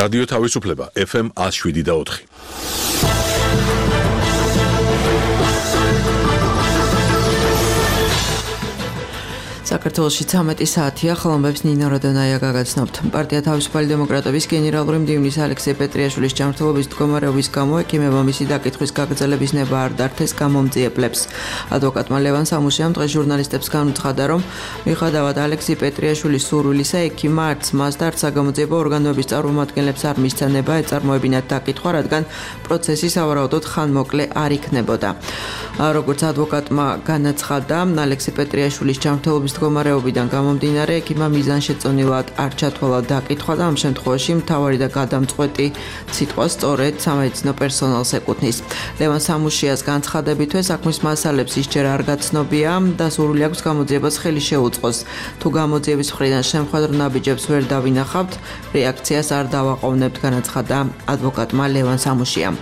რადიო თავისუფლება FM 107.4. საქართველოში 13 საათია, ხლომბებს ნინო როდონაია გაგაცნობთ. პარტია თავისუფალი დემოკრატების გენერალური მდივნის ალექსეი პეტრიაშვილის ჯანმრთელობის მდგომარეობის გამო ექიმებმა მისი დაკითხვის გაგრძელების ნება არ დართეს გამომძიებლებს. ადვოკატმა ლევან სამუშიამ დღეს ჟურნალისტებს განუცხადა, რომ მიუხედავად ალექსეი პეტრიაშვილის სურვილისა, ექიმმა არც მას და არც საგამოძიებო ორგანოების წარმომადგენლებს არ მისცემება ეწარმოებინათ დაკითხვა, რადგან პროცესი სავარაუდოდ ხანმოკლე არ იქნებოდა. როგორც ადვოკატმა განაცხადა, ალექსეი პეტრიაშვილის ჯანმრთელობის მდგომარეობიდან გამომდინარე, ექიმმა მიზანშეწონილად არ ჩათვალა დაკითხვა და ამ შემთხვევაში მთავარი და გადამწყვეტი სიტყვა სწორედ სამედიცინო პერსონალს ეკუთვნის. ლევან სამუშიას განცხადებითვე საქმის მასალებს ისჯერ არ გაცნობია და სურვილი აქვს გამოძიებას ხელი შეუწყოს. თუ გამოძიების მხრიდან შემხედრო ნაბიჯებს ვერ დავინახავთ, რეაქციას არ დავაყოვნებთ, განაცხადა ადვოკატმა ლევან სამუშიამ.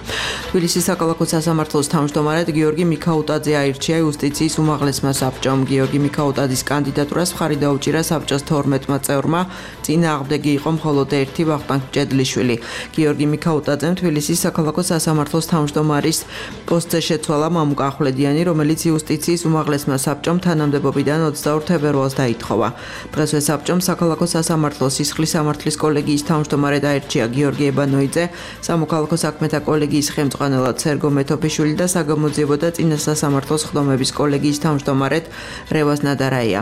თბილისის საქალაქო სასამართლოს თავმჯდომარედ გიორგი მიქაუტაძე აირჩია იუსტიციის უმაღლესმა საბჭომ. გიორგი მიქაუტაძის კანდიდატურას მხარი დაუჭირა საბჭოს 12-მა წევრმა, წინააღმდეგი იყო მხოლოდ ერთი ვახტანგ მჭედლიშვილი. გიორგი მიქაუტაძემ თბილისის საქალაქო სასამართლოს თავმჯდომარის პოსტზე შეცვალა მამუკა ახვლედიანი, რომელიც იუსტიციის უმაღლესმა საბჭომ თანამდებობიდან 22 თებერვალს დაითხოვა. დღესვე საბჭომ საქალაქო სასამართლოს სისხლის სამართლის კოლეგიის თავმჯდომარედ აირჩია გიორგი ებანოიძე, სამოქალაქო საქმეთა კოლეგიის ხელმძღვანელად სერგო მეთოფიშვილი და საგამოძიებო და წინასასამართლოს ხდომების კოლეგიის თავმჯდომარედ რევაზ ნადარაია.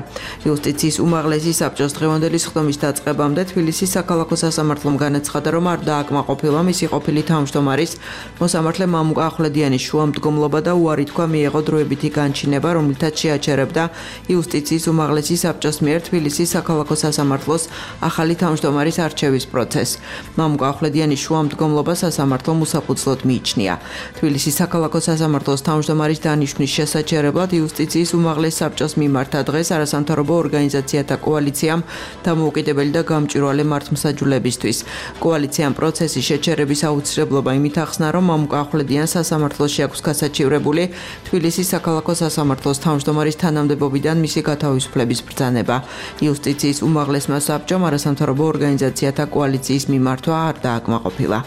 იუსტიციის უმაღლესი საბჭოს დღევანდელი სხდომის დაწყებამდე თბილისის საქალაქო სასამართლომ განაცხადა, რომ არ დააკმაყოფილა მისი ყოფილი თავმჯდომარის მოსამართლე მამუკა ახვლედიანის შუამდგომლობა და უარი თქვა მიეღო დროებითი განჩინება, რომლითაც შეაჩერებდა იუსტიციის უმაღლესი საბჭოს მიერ თბილისის საქალაქო სასამართლოს ახალი თავმჯდომარის არჩევის პროცესს. მამუკა ახვლედიანის შუამდგომლობა სასამართლომ უსაფუძვლოდ მიიჩნია. თბილისის საქალაქო სასამართლოს თავმჯდომარის დანიშვნის შესაჩერებლად იუსტიციის უმაღლეს საბჭოს მიმართა დღეს არასამთავრობო ორგანიზაციათა კოალიციამ დამოუკიდებელი და გამჭვირვალე მართლმსაჯულებისთვის. კოალიციამ პროცესის შეჩერების აუცილებლობა იმით ახსნა, რომ მამუკა ახვლედიანს სასამართლოში აქვს გასაჩივრებული თბილისის საქალაქო სასამართლოს თავმჯდომარის თანამდებობიდან მისი გათავისუფლების ბრძანება. იუსტიციის უმაღლესმა საბჭომ არასამთავრობო ორგანიზაციათა კოალიციის მიმართვა არ დააკმაყოფილა.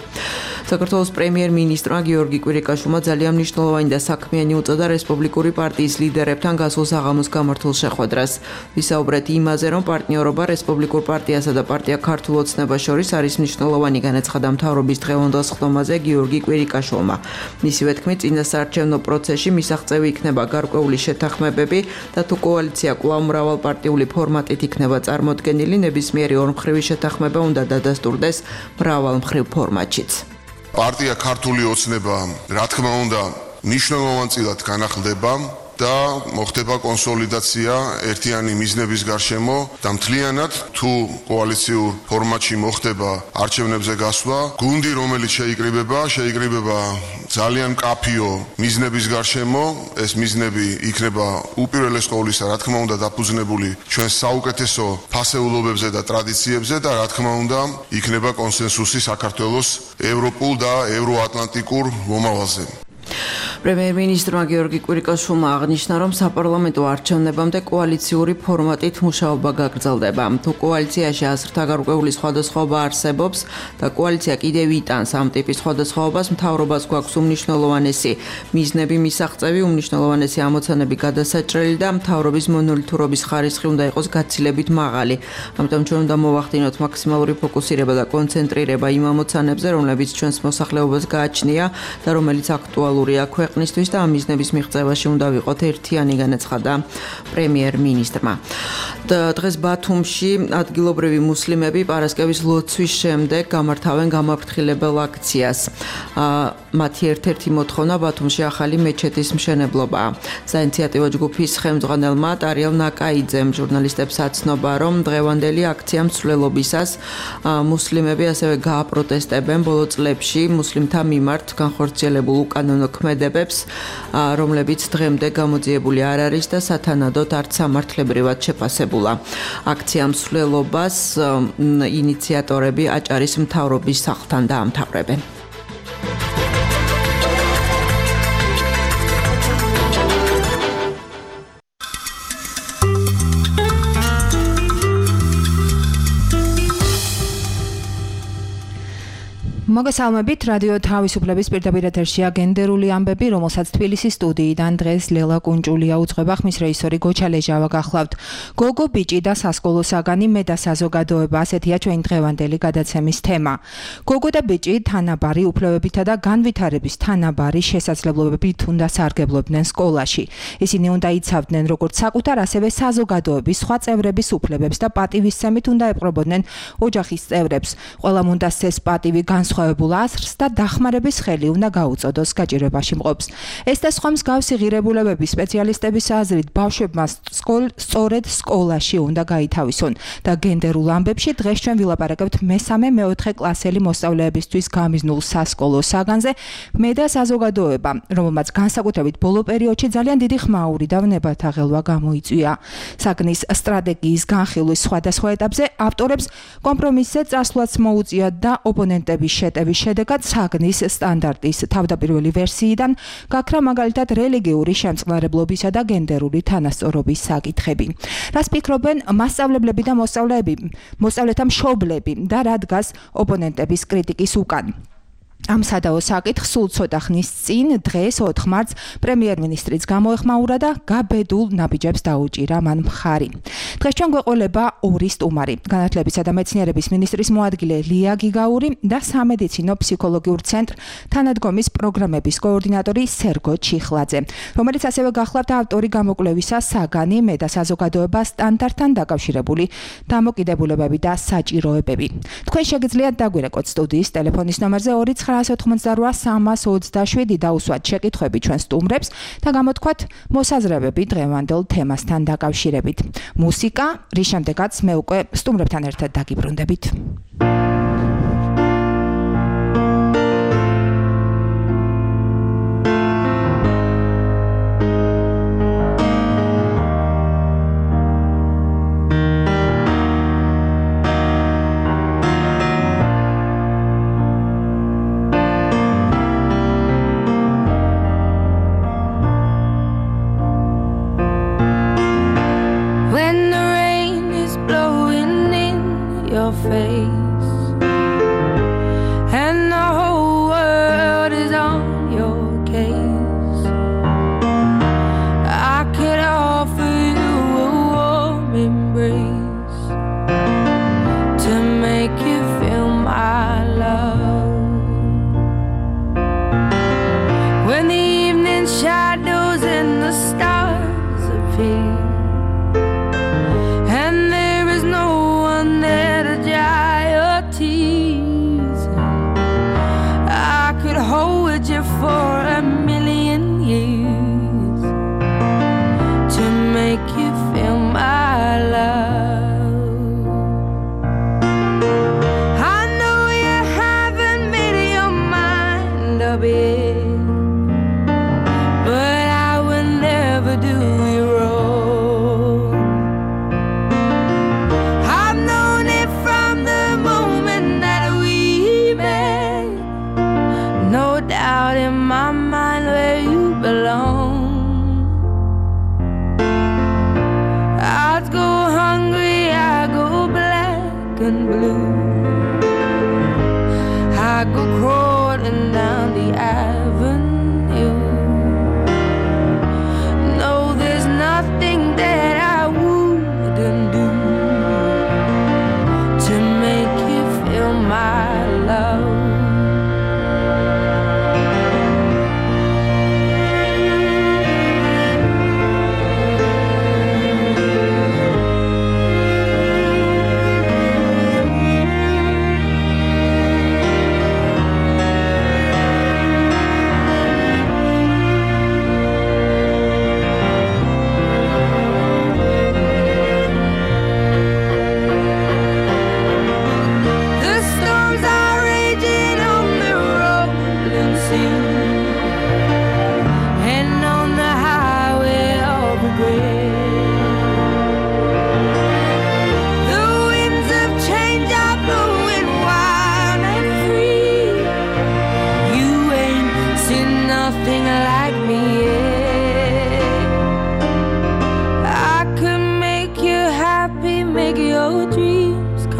საქართველოს პრემიერ-მინისტრმა გიორგი კვირიკაშვილმა ძალიან მნიშვნელოვანი და საქმიანი უწოდა რესპუბლიკური პარტიის ლიდერებთან გასულ საღამოს გამართულ შეხვედრას. ვისაუბრეთ იმაზე, რომ პარტნიორობა რესპუბლიკურ პარტიასა და პარტია ქართულ ოცნებას შორის არის მნიშვნელოვანი, განაცხადა მთავრობის დღევანდელ სხდომაზე გიორგი კვირიკაშვილმა. მისივე თქმით, წინასაარჩევნო პროცესში მისაღწევი იქნება გარკვეული შეთანხმებები და თუ კოალიცია კვლავ მრავალპარტიული ფორმატით იქნება წარმოდგენილი, ნებისმიერი ორმხრივი შეთანხმება უნდა დადასტურდეს მრავალმხრივ ფორმატშიც. პარტია ქართული ოცნება, რა თქმა უნდა, მნიშვნელოვანწილად განახლდება და მოხდება კონსოლიდაცია ერთიანი მიზნების გარშემო და მთლიანად თუ კოალიციურ ფორმატში მოხდება არჩევნებზე გასვლა, გუნდი რომელიც შეიკრიბება ძალიან მკაფიო მიზნების გარშემო, ეს მიზნები იქნება უპირველეს ყოვლისა, რა თქმა უნდა, დაფუძნებული ჩვენს საუკეთესო ფასეულობებზე და ტრადიციებზე და რა თქმა უნდა, იქნება კონსენსუსი საქართველოს ევროპულ და ევროატლანტიკურ მომავალზე. პრემიერ-მინისტრმა გიორგი კვირიკაშვილმა აღნიშნა, რომ საპარლამენტო არჩევნებამდე კოალიციური ფორმატით მუშაობა გაგრძელდება. თუ კოალიციაში აზრთა გარკვეული სხვადასხვაობა არსებობს და კოალიცია კიდევ იტანს ამ ტიპის სხვადასხვაობას, მთავრობას გვაქვს უმნიშვნელოვანესი მიზნები მისაღწევი, უმნიშვნელოვანესი ამოცანები გადასაჭრელი და მთავრობის მონოლითურობის ხარისხი უნდა იყოს გაცილებით მაღალი. ამიტომ ჩვენ უნდა მოვახდინოთ მაქსიმალური ფოკუსირება და კონცენტრირება იმ ამოცანებზე, რომლებიც ჩვენს მოსახლეობას გააჩნია და რომელიც აქტუალურია ქვეყნისთვის და ამ მიზნების მიღწევაში უნდა ვიყოთ ერთიანი, განაცხადა პრემიერ-მინისტრმა. დღეს ბათუმში ადგილობრივი მუსლიმები პარასკევის ლოცვის შემდეგ გამართავენ გამაფრთხილებელ აქციას. მათი ერთ-ერთი მოთხოვნა ბათუმში ახალი მეჩეთის მშენებლობაა. საინიციატივო ჯგუფის ხელმძღვანელმა ტარიელ ნაკაიძემ ჟურნალისტებს აცნობა, რომ დღევანდელი აქცია მსვლელობისას მუსლიმები ასევე გააპროტესტებენ ბოლო წლებში მუსლიმთა მიმართ განხორციელებულ უკანონო ქმედებებს, რომლებიც დღემდე გამოძიებული არ არის და სათანადოდ არც სამართლებრივად შეფასებულა. აქცია მსვლელობას ინიციატორები აჭარის მთავრობის სახლთან დაამთავრებენ. მოგესალმებით, რადიო თავისუფლების პირდაპირ ეთერშია გენდერული ამბები, რომელსაც თბილისის სტუდიიდან დღეს ლელა კუნჭულია უძღვება, ხმის რეჟისორი გოჩა ლეჟავა გახლავთ. გოგო ბიჭი და სასკოლო საგანი მე და საზოგადოება, ასეთია ჩვენი დღევანდელი გადაცემის თემა. გოგო და ბიჭი თანაბარი უფლებებითა და განვითარების თანაბარი შესაძლებლობებით უნდა სარგებლობდნენ სკოლაში. ისინი უნდა იცავდნენ როგორც საკუთარ, ასევე საზოგადოების სხვა წევრების უფლებებს და პატივისცემით უნდა ეპყრობოდნენ ოჯახის წევრებს. ყველამ უნდა სცეს პატივი განსხვავებულ აზრს და დახმარების ხელი უნდა გაუწოდოს გაჭირვებაში მყოფს. ეს და სხვა მსგავსი ღირებულებები სპეციალისტების აზრით ბავშვებმა სწორედ სკოლაში უნდა გაითავისონ და გენდერულ ამბებში დღეს ჩვენ ვილაპარაკებთ მესამე-მეოთხე კლასელი მოსწავლეებისთვის გამიზნულ სასკოლო საგანზე მე და საზოგადოება, რომელმაც განსაკუთრებით ბოლო პერიოდში ძალიან დიდი ხმაური და ვნებათა ღელვა გამოიწვია. საგნის სტრატეგიის განხილვის სხვადასხვა ეტაპზე ავტორებს კომპრომისზე წასვლაც მოუწია და ოპონენტების შეტევის შედეგად საგნის სტანდარტის თავდაპირველი ვერსიიდან გაქრა მაგალითად რელიგიური შემწყნარებლობისა და გენდერული თანასწორობის საკითხები. რას ფიქრობენ მასწავლებლები და მოსწავლეთა მშობლები და რა დგას ოპონენტების კრიტიკის უკან? ამ სადაო საკითხს სულ ცოტა ხნის წინ დღეს 4 მარტს პრემიერ-მინისტრიც გამოეხმაურა და გაბედულ ნაბიჯებს დაუჭირა მან მხარი. დღეს ჩვენ გვეყოლება ორი სტუმარი, განათლებისა და მეცნიერების მინისტრის მოადგილე ლია გიგაური და სამედიცინო ფსიქოლოგიურ ცენტრ თანადგომის პროგრამების კოორდინატორი სერგო ჩიხლაძე, რომელიც ასევე გახლავთ ავტორი გამოკვლევისა საგანი მე და საზოგადოება სტანდარტთან დაკავშირებული დამოკიდებულებები და საჭიროებები. თქვენ შეგიძლიათ დაგვირეკოთ სტუდიის ტელეფონის ნომერზე 2988327 დაუსვათ შეკითხვები ჩვენ სტუმრებს და გამოთქვათ მოსაზრებები დღევანდელ თემასთან დაკავშირებით. მუსიკა, რის შემდეგაც მე უკვე სტუმრებთან ერთად დაგიბრუნდებით.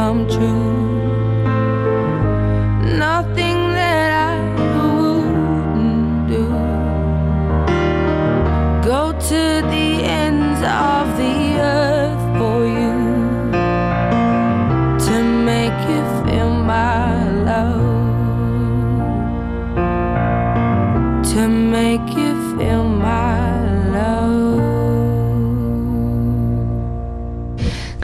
come true. Nothing the ends of the earth for you to make you feel my love, to make you feel my love.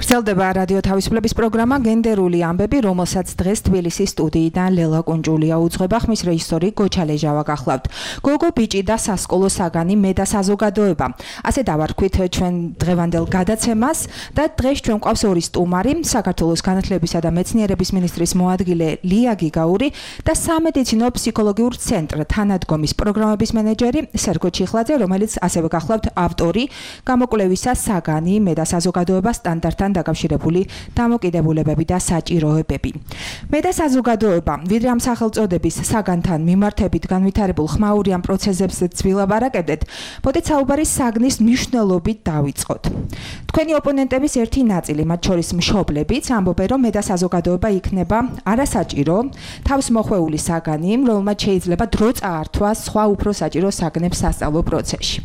გრძელდება რადიო თავისუფლების პროგრამა გენდერული ამბები, რომელსაც დღეს თბილისის სტუდიიდან ლელა კუნჭულია უძღვება, ხმის რეჟისორი გოჩა ლეჟავა გახლავთ. გოგო ბიჭი და სასკოლო საგანი მე და საზოგადოება. ასე დავარქვით ჩვენ დღევანდელ გადაცემას და დღეს ჩვენ გვყავს ორი სტუმარი, საქართველოს განათლებისა და მეცნიერების მინისტრის მოადგილე ლია გიგაური და სამედიცინო ფსიქოლოგიურ ცენტრ თანადგომის პროგრამების მენეჯერი სერგო ჩიხლაძე, რომელიც ასევე გახლავთ ავტორი გამოკვლევისა საგანი მე და საზოგადოება სტანდარტთან დაკავშირებული დამოკიდებულებები და საჭიროებები. მე და საზოგადოება, ვიდრე ამ სახელწოდების საგანთან მიმართებით განვითარებულ ხმაურიან პროცესებზე ვილაპარაკებდეთ, მოდით საუბარი საგნის მნიშვნელობით დავიწყოთ. თქვენი ოპონენტების ერთი ნაწილი, მათ შორის მშობლებიც, ამბობენ, რომ მე და საზოგადოება იქნება არასაჭირო, თავს მოხვეული საგანი, რომელმაც შეიძლება დრო წაართვა სხვა უფრო საჭირო საგნებს სასწავლო პროცესში.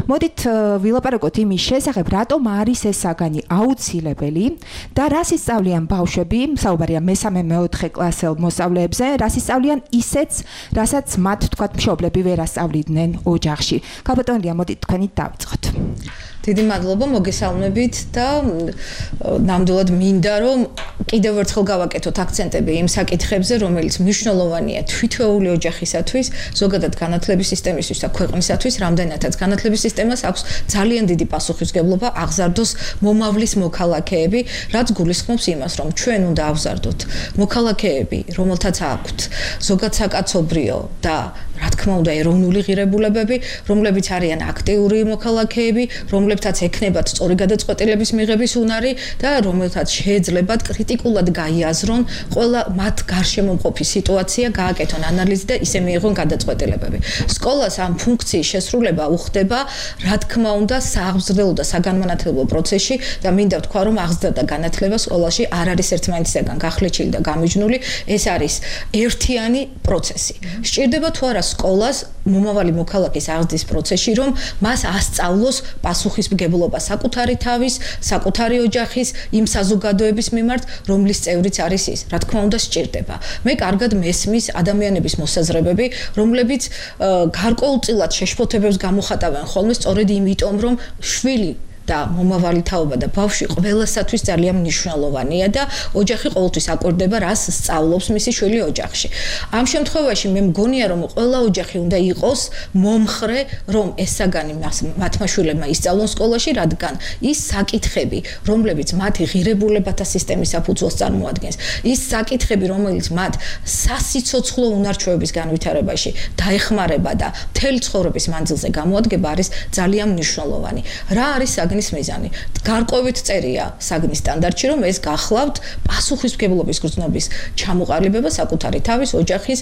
მოდით ვილაპარაკოთ იმის შესახებ, რატომ არის ეს საგანი აუცილებელი და რას ისწავლიან ბავშვები, საუბარია მე-3-4 კლასელ მოსწავლეებზე, რას ისწავლიან ისეც, რასაც მათ თქვათ მშობლები ვერ ასწავლიდნენ ოჯახში. ქალბატონია, მოდით თქვენით დავიწყოთ. დიდი მადლობა, მოგესალმებით და ნამდვილად მინდა რომ კიდევ ერთხელ გავაკეთოთ აქცენტები იმ საკითხებზე, რომელიც მნიშვნელოვანია თვითეული ოჯახისათვის, ზოგადად განათლების სისტემისთვის და ქვეყნისათვის, რამდენადაც განათლების სისტემას აქვს ძალიან დიდი პასუხისმგებლობა აღზარდოს მომავლის მოქალაქეები, რაც გულისხმობს იმას, რომ ჩვენ უნდა ავზარდოთ მოქალაქეები, რომელთაც აქვთ ზოგადსაკაცობრიო და რა თქმა უნდა ეროვნული ღირებულებები, რომლებიც არიან აქტიური მოქალაქეები, რომლებთაც ექნებათ სწორი გადაწყვეტილების მიღების უნარი და რომელთაც შეეძლებათ კრიტიკულად გაიაზრონ ყველა მათ გარშემო მყოფი სიტუაცია, გააკეთონ ანალიზი და ისე მიიღონ გადაწყვეტილებები. სკოლას ამ ფუნქციის შესრულება უხდება, რა თქმა უნდა, სააღზრდელო და საგანმანათლებლო პროცესში და მინდა ვთქვა, რომ აღზრდა და განათლება სკოლაში არ არის ერთმანეთისგან გახლეჩილი და გამიჯნული, ეს არის ერთიანი პროცესი. სჭირდება თუ არა სკოლას მომავალი მოქალაქის აღზრდის პროცესში, რომ მას ასწავლოს პასუხისმგებლობა საკუთარი თავის, საკუთარი ოჯახის, იმ საზოგადოების მიმართ, რომლის წევრიც არის ის. რა თქმა უნდა, სჭირდება. მე კარგად მესმის ადამიანების მოსაზრებები, რომლებიც გარკვეულწილად შეშფოთებებს გამოხატავენ ხოლმე სწორედ იმიტომ, რომ შვილი და მომავალი თაობა და ბავშვი ყველასათვის ძალიან მნიშვნელოვანია და ოჯახი ყოველთვის აკვირდება, რას სწავლობს მისი შვილი ოჯახში. ამ შემთხვევაში მე მგონია, რომ ყველა ოჯახი უნდა იყოს მომხრე, რომ ეს საგანი მათმა შვილებმა ისწავლონ სკოლაში, რადგან ის საკითხები, რომლებიც მათი ღირებულებათა სისტემის საფუძველს წარმოადგენს, ის საკითხები, რომელიც მათ სასიცოცხლო უნარჩვევების განვითარებაში დაეხმარება და მთელი ცხოვრების მანძილზე გამოადგება, არის ძალიან მნიშვნელოვანი. რა არის საგნის მიზანი? გარკვევით წერია საგნის სტანდარტში, რომ ეს გახლავთ პასუხისმგებლობის გრძნობის ჩამოყალიბება საკუთარი თავის, ოჯახის,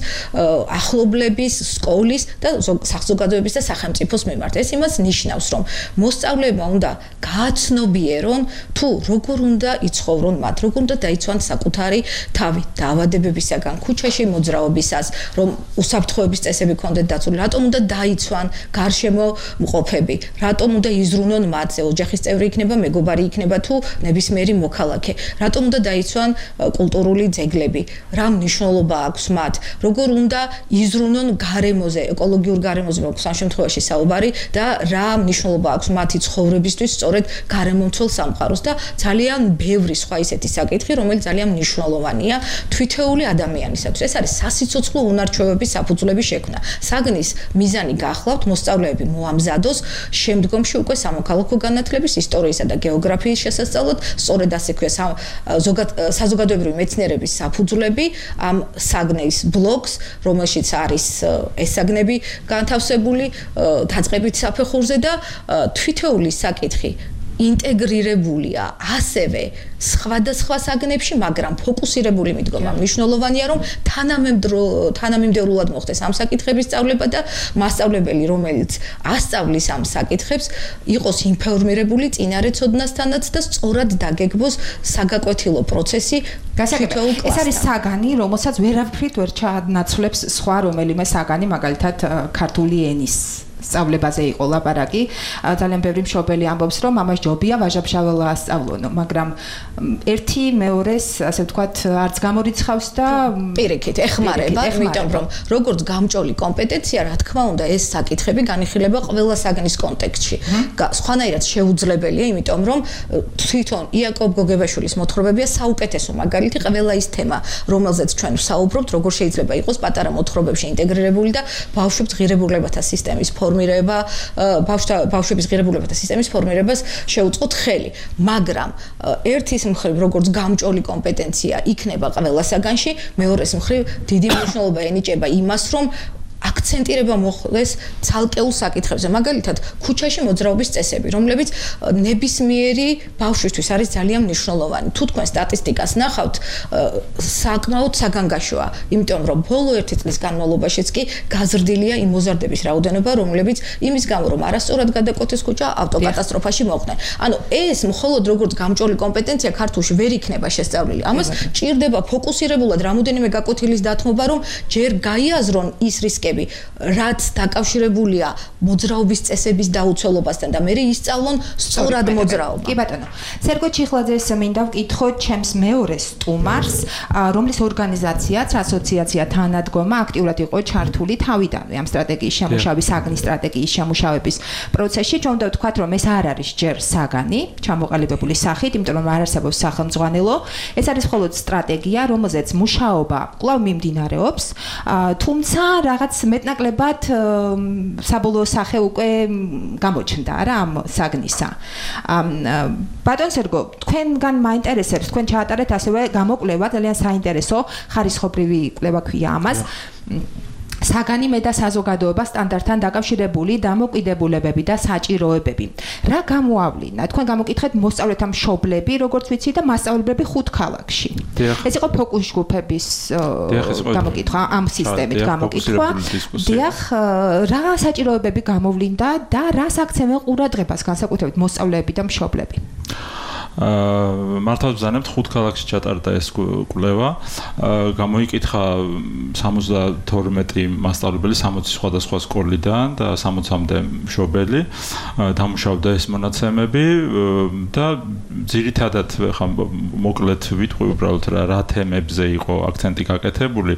ახლობლების, სკოლის და საზოგადოების და სახელმწიფოს მიმართ. ეს იმას ნიშნავს, რომ მოსწავლეებმა უნდა გააცნობიერონ თუ როგორ უნდა იცხოვრონ მათ, როგორ უნდა დაიცვან საკუთარი თავი დაავადებებისაგან, ქუჩაში მოძრაობისას, რომ უსაფრთხოების წესები ქონდეთ დაცული, რატომ უნდა დაიცვან გარშემო მყოფები, რატომ უნდა იზრუნონ მათზე, ოჯახის წევრი იქნება, მეგობარი იქნება თუ ნებისმიერი მოქალაქე, რატომ უნდა დაიცვან კულტურული ძეგლები, რა მნიშვნელობა აქვს მათ, როგორ უნდა იზრუნონ გარემოზე, ეკოლოგიურ გარემოზე აქვს ამ შემთხვევაში საუბარი და რა მნიშვნელობა აქვს მათი ცხოვრებისთვის სწორედ გარემომცველ სამყაროს და ძალიან ბევრი სხვა ისეთი საკითხი, რომელიც ძალიან მნიშვნელოვანია თვითეული ადამიანისათვის. ეს არის სასიცოცხლო უნარჩვევების საფუძვლების შექმნა. საგნის მიზანი გახლავთ მოსწავლეები მოამზადოს შემდგომში უკვე სამოქალაქო განათლების, ისტორიისა და გეოგრაფიის შესასწავლად, სწორედ ასე ქვია საზოგადოებრივი მეცნიერების საფუძვლები ამ საგნის ბლოკს, რომელშიც არის ეს საგნები განთავსებული დაწყებით საფეხურზე და თვითეული საკითხი ინტეგრირებულია ასევე სხვადასხვა საგნებში, მაგრამ ფოკუსირებული მიდგომა მნიშვნელოვანია, რომ თანამიმდევრულად მოხდეს ამ საკითხების სწავლება და მასწავლებელი, რომელიც ასწავლის ამ საკითხებს, იყოს ინფორმირებული წინარე ცოდნასთანაც და სწორად დაგეგმოს საგაკვეთილო პროცესი თითოეულ კლასთან. ეს არის საგანი, რომელსაც ვერაფრით ვერ ჩაანაცვლებს სხვა რომელიმე საგანი, მაგალითად ქართული ენის სწავლებაზე იყო ლაპარაკი. ძალიან ბევრი მშობელი ამბობს, რომ ამას ჯობია ვაჟა-ფშაველა ასწავლონო, მაგრამ ერთი მეორეს, ასე ვთქვათ, არც გამორიცხავს და პირიქით ეხმარება, იმიტომ რომ როგორც გამჭოლი კომპეტენცია, რა თქმა უნდა, ეს საკითხები განიხილება ყველა საგნის კონტექსტში. სხვანაირად შეუძლებელია, იმიტომ რომ თვითონ იაკობ გოგებაშვილის მოთხრობებია საუკეთესო მაგალითი, ყველა ის თემა, რომელზეც ჩვენ ვსაუბრობთ, როგორ შეიძლება იყოს პატარა მოთხრობებში ინტეგრირებული და ბავშვებს ღირებულებათა სისტემის ფორმირება, ბავშვების ღირებულებათა სისტემის ფორმირებას შეუწყოთ ხელი. მაგრამ ერთის მხრივ, როგორც გამჭოლი კომპეტენცია იქნება ყველა საგანში, მეორეს მხრივ დიდი მნიშვნელობა ენიჭება იმას, რომ აქცენტირება მოხდეს ცალკეულ საკითხებზე. მაგალითად, ქუჩაში მოძრაობის წესები, რომლებიც ნებისმიერი ბავშვისთვის არის ძალიან მნიშვნელოვანი. თუ თქვენ სტატისტიკას ნახავთ, საკმაოდ საგანგაშოა, იმიტომ რომ ბოლო 1 წლის განმავლობაშიც კი გაზრდილია იმ მოზარდების რაოდენობა, რომლებიც იმის გამო, რომ არასწორად გადაკვეთეს ქუჩა, ავტოკატასტროფაში მოხდნენ. ანუ ეს მხოლოდ როგორც გამჭოლი კომპეტენცია ქართულში ვერ იქნება შესწავლილი. ამას ჭირდება ფოკუსირებულად რამოდენიმე გაკვეთილის დათმობა, რომ ჯერ გაიაზრონ ის რისკები, რაც დაკავშირებულია მოძრაობის წესების დაუცველობასთან და მე ისწავლონ სწორად მოძრაობა. კი ბატონო. სერგო ჩიხლაძეს მინდა ვკითხო ჩემს მეორე სტუმარს, რომლის ორგანიზაციაც ასოციაცია თანადგომა აქტიურად იყო ჩართული თავიდანვე ამ სტრატეგიის შემუშავების, საგნის სტრატეგიის შემუშავების პროცესში. ჩვენ უნდა ვთქვათ, რომ ეს არ არის ჯერ საგანი, ჩამოყალიბებული სახით, იმიტომ რომ არ არსებობს სახელმძღვანელო. ეს არის მხოლოდ სტრატეგია, რომელზეც მუშაობა კვლავ მიმდინარეობს, თუმცა რაღაც მეტნაკლებად საბოლოო სახე უკვე გამოჩნდა რა ამ საგნისა. ბატონ სერგო, თქვენგან მაინტერესებს, თქვენ ჩაატარეთ ასევე გამოკვლევა, ძალიან საინტერესო, ხარისხობრივი კვლევა ქვია ამას. საგანი მე და საზოგადოება სტანდარტთან დაკავშირებული დამოკიდებულებები და საჭიროებები. რა გამოავლინა? თქვენ გამოკითხეთ მოსწავლეთა მშობლები, როგორც ვიცი და მასწავლებლები 5 ქალაქში. ეს იყო ფოკუს ჯგუფების გამოკითხვა, ამ სისტემით გამოკითხვა. დიახ, რა საჭიროებები გამოვლინდა და რას აქცევენ ყურადღებას განსაკუთრებით მოსწავლეები და მშობლები? მართალ ვზანებთ 5 ქალაქში ჩატარდა ეს კვლევა. გამოიკითხა 72 მასწავლებელი 60 სხვადასხვა სკოლიდან და 60-მდე მშობელი. დამუშავდა ეს მონაცემები და ძირითადად ხა მოკლედ ვიტყვი უბრალოდ რა თემებზე იყო აქცენტი გაკეთებული.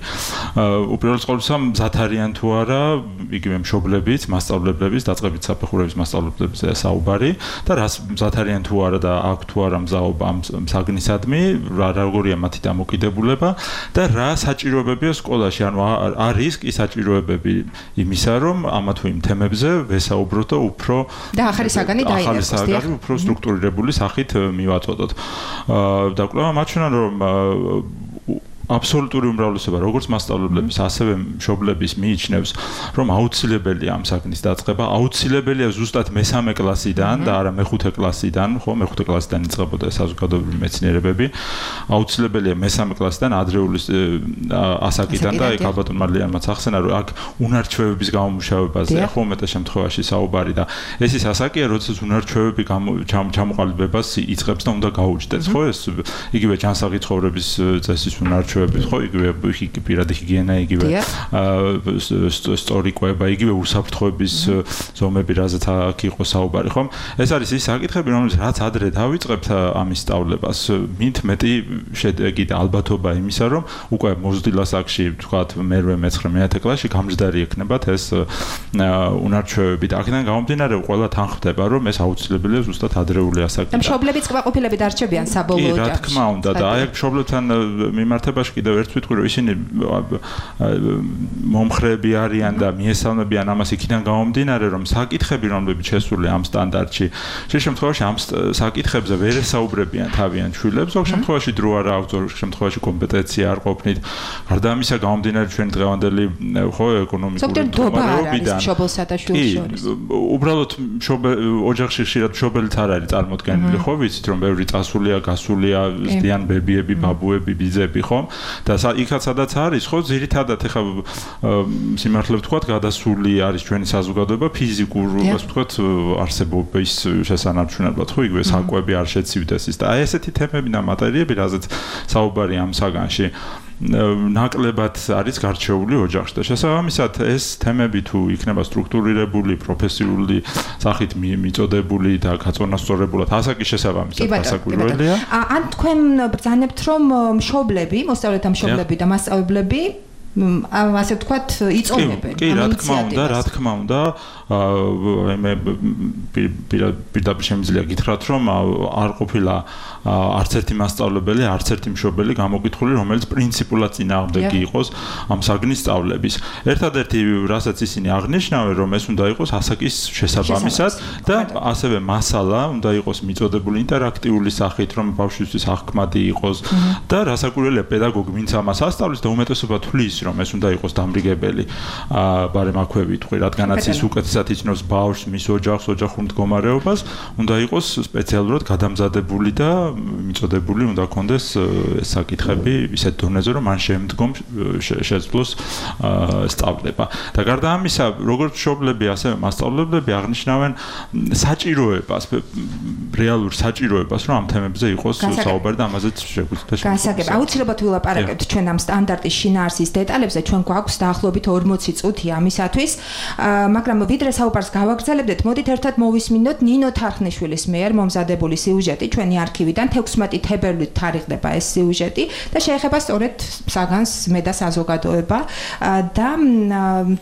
უპირველეს ყოვლისა მზად არიან თუ არა იგივე მშობლებიც, მასწავლებლების, დაწყებით საფეხურების მასწავლებლებზე საუბარი და რას მზად არიან თუ არა და აქ თუ არა მზაობა ამ საგნისადმი, როგორია მათი დამოკიდებულება და რა საჭიროებებია სკოლაში, ანუ არის კი საჭიროებები იმისა, რომ ამა თუ იმ თემებზე ვესაუბროთ და უფრო და ახალი საგანი დაინერგოს, უფრო სტრუქტურირებული სახით მივაწოდოთ. და კვლევა მაჩვენა, რომ აბსოლუტური უმრავლესობა როგორც მასწავლებლების, ასევე მშობლების მიიჩნევს, რომ აუცილებელია ამ საგნის დაწყება, აუცილებელია ზუსტად მესამე კლასიდან და არა მეხუთე კლასიდან, ხო, მეხუთე კლასიდან იწყებოდა საზოგადოებრივი მეცნიერებები. აუცილებელია მესამე კლასიდან ადრეული ასაკიდან და იქ ალბათ მალიანმაც ახსენა, რომ აქ უნარჩვევების გამომუშავებაზეა ხო მეტად შემთხვევაში საუბარი და ეს ის ასაკია, როდესაც უნარჩვევები ჩამოყალიბებას იწყებს და უნდა გაუჩნდეს, ხო, ეს იგივე ჯანსაღი ცხოვრების წესის უნარჩვევები ხო იგივე პირადი ჰიგიენა იგივე სწორიკვება იგივე უსაფრთხოების ზომები რაზეც აქ იყო საუბარი ხომ ეს არის ის საკითხები რომელიც რაც ადრე დავიწყებთ ამის სწავლებას მით მეტი შედეგი და ალბათობა იმისა რომ უკვე მოზრდილ ასაკში ვთქვათ მერვე მეცხრე მეათე კლასში გამჯდარი ექნებათ ეს უნარჩვევები და აქედან გამომდინარე ყველა თან ხვდება რომ ეს აუცილებელია ზუსტად ადრეული ასაკიდან მშობლებიც კმაყოფილებით არჩევიან საბოლოო ჯამში რა თქმა უნდა და აი აქ მშობლებთან მიმართება კიდევ ერთ ვიტყვი რომ ისინი მომხრეები არიან და მიესალმებიან ამას იქიდან გამომდინარე რომ საკითხები რომლებიც შესულია ამ სტანდარტში შემთხვევაში ამ საკითხებზე ვერ ესაუბრებიან თავიანთ შვილებს ზოგ შემთხვევაში დრო არ აქვს ზოგ შემთხვევაში კომპეტენცია არ ყოფნით გარდა ამისა გამომდინარე ჩვენ დღევანდელი ხო ეკონომიკური მდგომარეობიდან მშობელსა და შვილს შორის უბრალოდ ოჯახში ხშირად მშობელიც არ არის წარმოდგენილი ხო ვიცით რომ ბევრი წასულია გასულია ზდიან ბებიები ბაბუები ბიძები ხო და იქაც სადაც არის ხო ძირითადად ეხა სიმართლე ვთქვათ გადასული არის ჩვენი საზოგადოება ფიზიკურ ასე ვთქვათ არსებობის შესანარჩუნებლად ხო იგივე საკვები არ შეცივდეს ის და აი ესეთი თემები და მატერიები რაზეც საუბარი ამ საგანში ნაკლებად არის გარჩეული ოჯახში და შესაბამისად ეს თემები თუ იქნება სტრუქტურირებული, პროფესიული სახით მიწოდებული და გაწონასწორებულად ასაკის შესაბამისად გასაკვირველია. ან თქვენ ბრძანებთ რომ მშობლები, მოსწავლეთა მშობლები და მასწავლებლები ასე ვთქვათ, იწონებენ. კი, რა თქმა უნდა, მე პირდაპირ შემიძლია გითხრათ, რომ არ ყოფილა არც ერთი მასწავლებელი, არც ერთი მშობელი გამოკითხული, რომელიც პრინციპულად წინააღმდეგი იყოს ამ საგნის სწავლების. ერთადერთი, რასაც ისინი აღნიშნავენ, რომ ეს უნდა იყოს ასაკის შესაბამისად და ასევე მასალა უნდა იყოს მიწოდებული ინტერაქტიული სახით, რომ ბავშვისთვის აღქმადი იყოს და რასაკვირველია, პედაგოგი ვინც ამას ასწავლის და უმეტესობა თვლის, რომ ეს უნდა იყოს დამრიგებელი ბარემაქვები თქვი, რადგანაც ის უკეთესად იცნობს ბავშვს, მის ოჯახს, ოჯახურ მდგომარეობას, უნდა იყოს სპეციალურად გადამზადებული და მიწოდებული უნდა ქონდეს ეს საკითხები ისეთ დონეზე, რომ მან შემდგომ შეძლოს სწავლება. და გარდა ამისა, როგორც მშობლები, ასევე მასწავლებლები აღნიშნავენ საჭიროებას, რეალურ საჭიროებას, რომ ამ თემებზე იყოს საუბარი და ამაზეც შეგვიძლია გასაგებ. აუცილებლად ვილაპარაკებთ ჩვენ ამ სტანდარტის შინაარსის დეტალებზე, ჩვენ გვაქვს დაახლოებით 40 წუთი ამისათვის, მაგრამ ვიდრე საუბარს გავაგრძელებდეთ, მოდით ერთად მოვისმინოთ ნინო თარხნიშვილის მიერ მომზადებული სიუჟეტი ჩვენი არქივიდან 16 თებერვლით თარიღდება ეს სიუჟეტი და შეეხება სწორედ საგანს მე და საზოგადოება და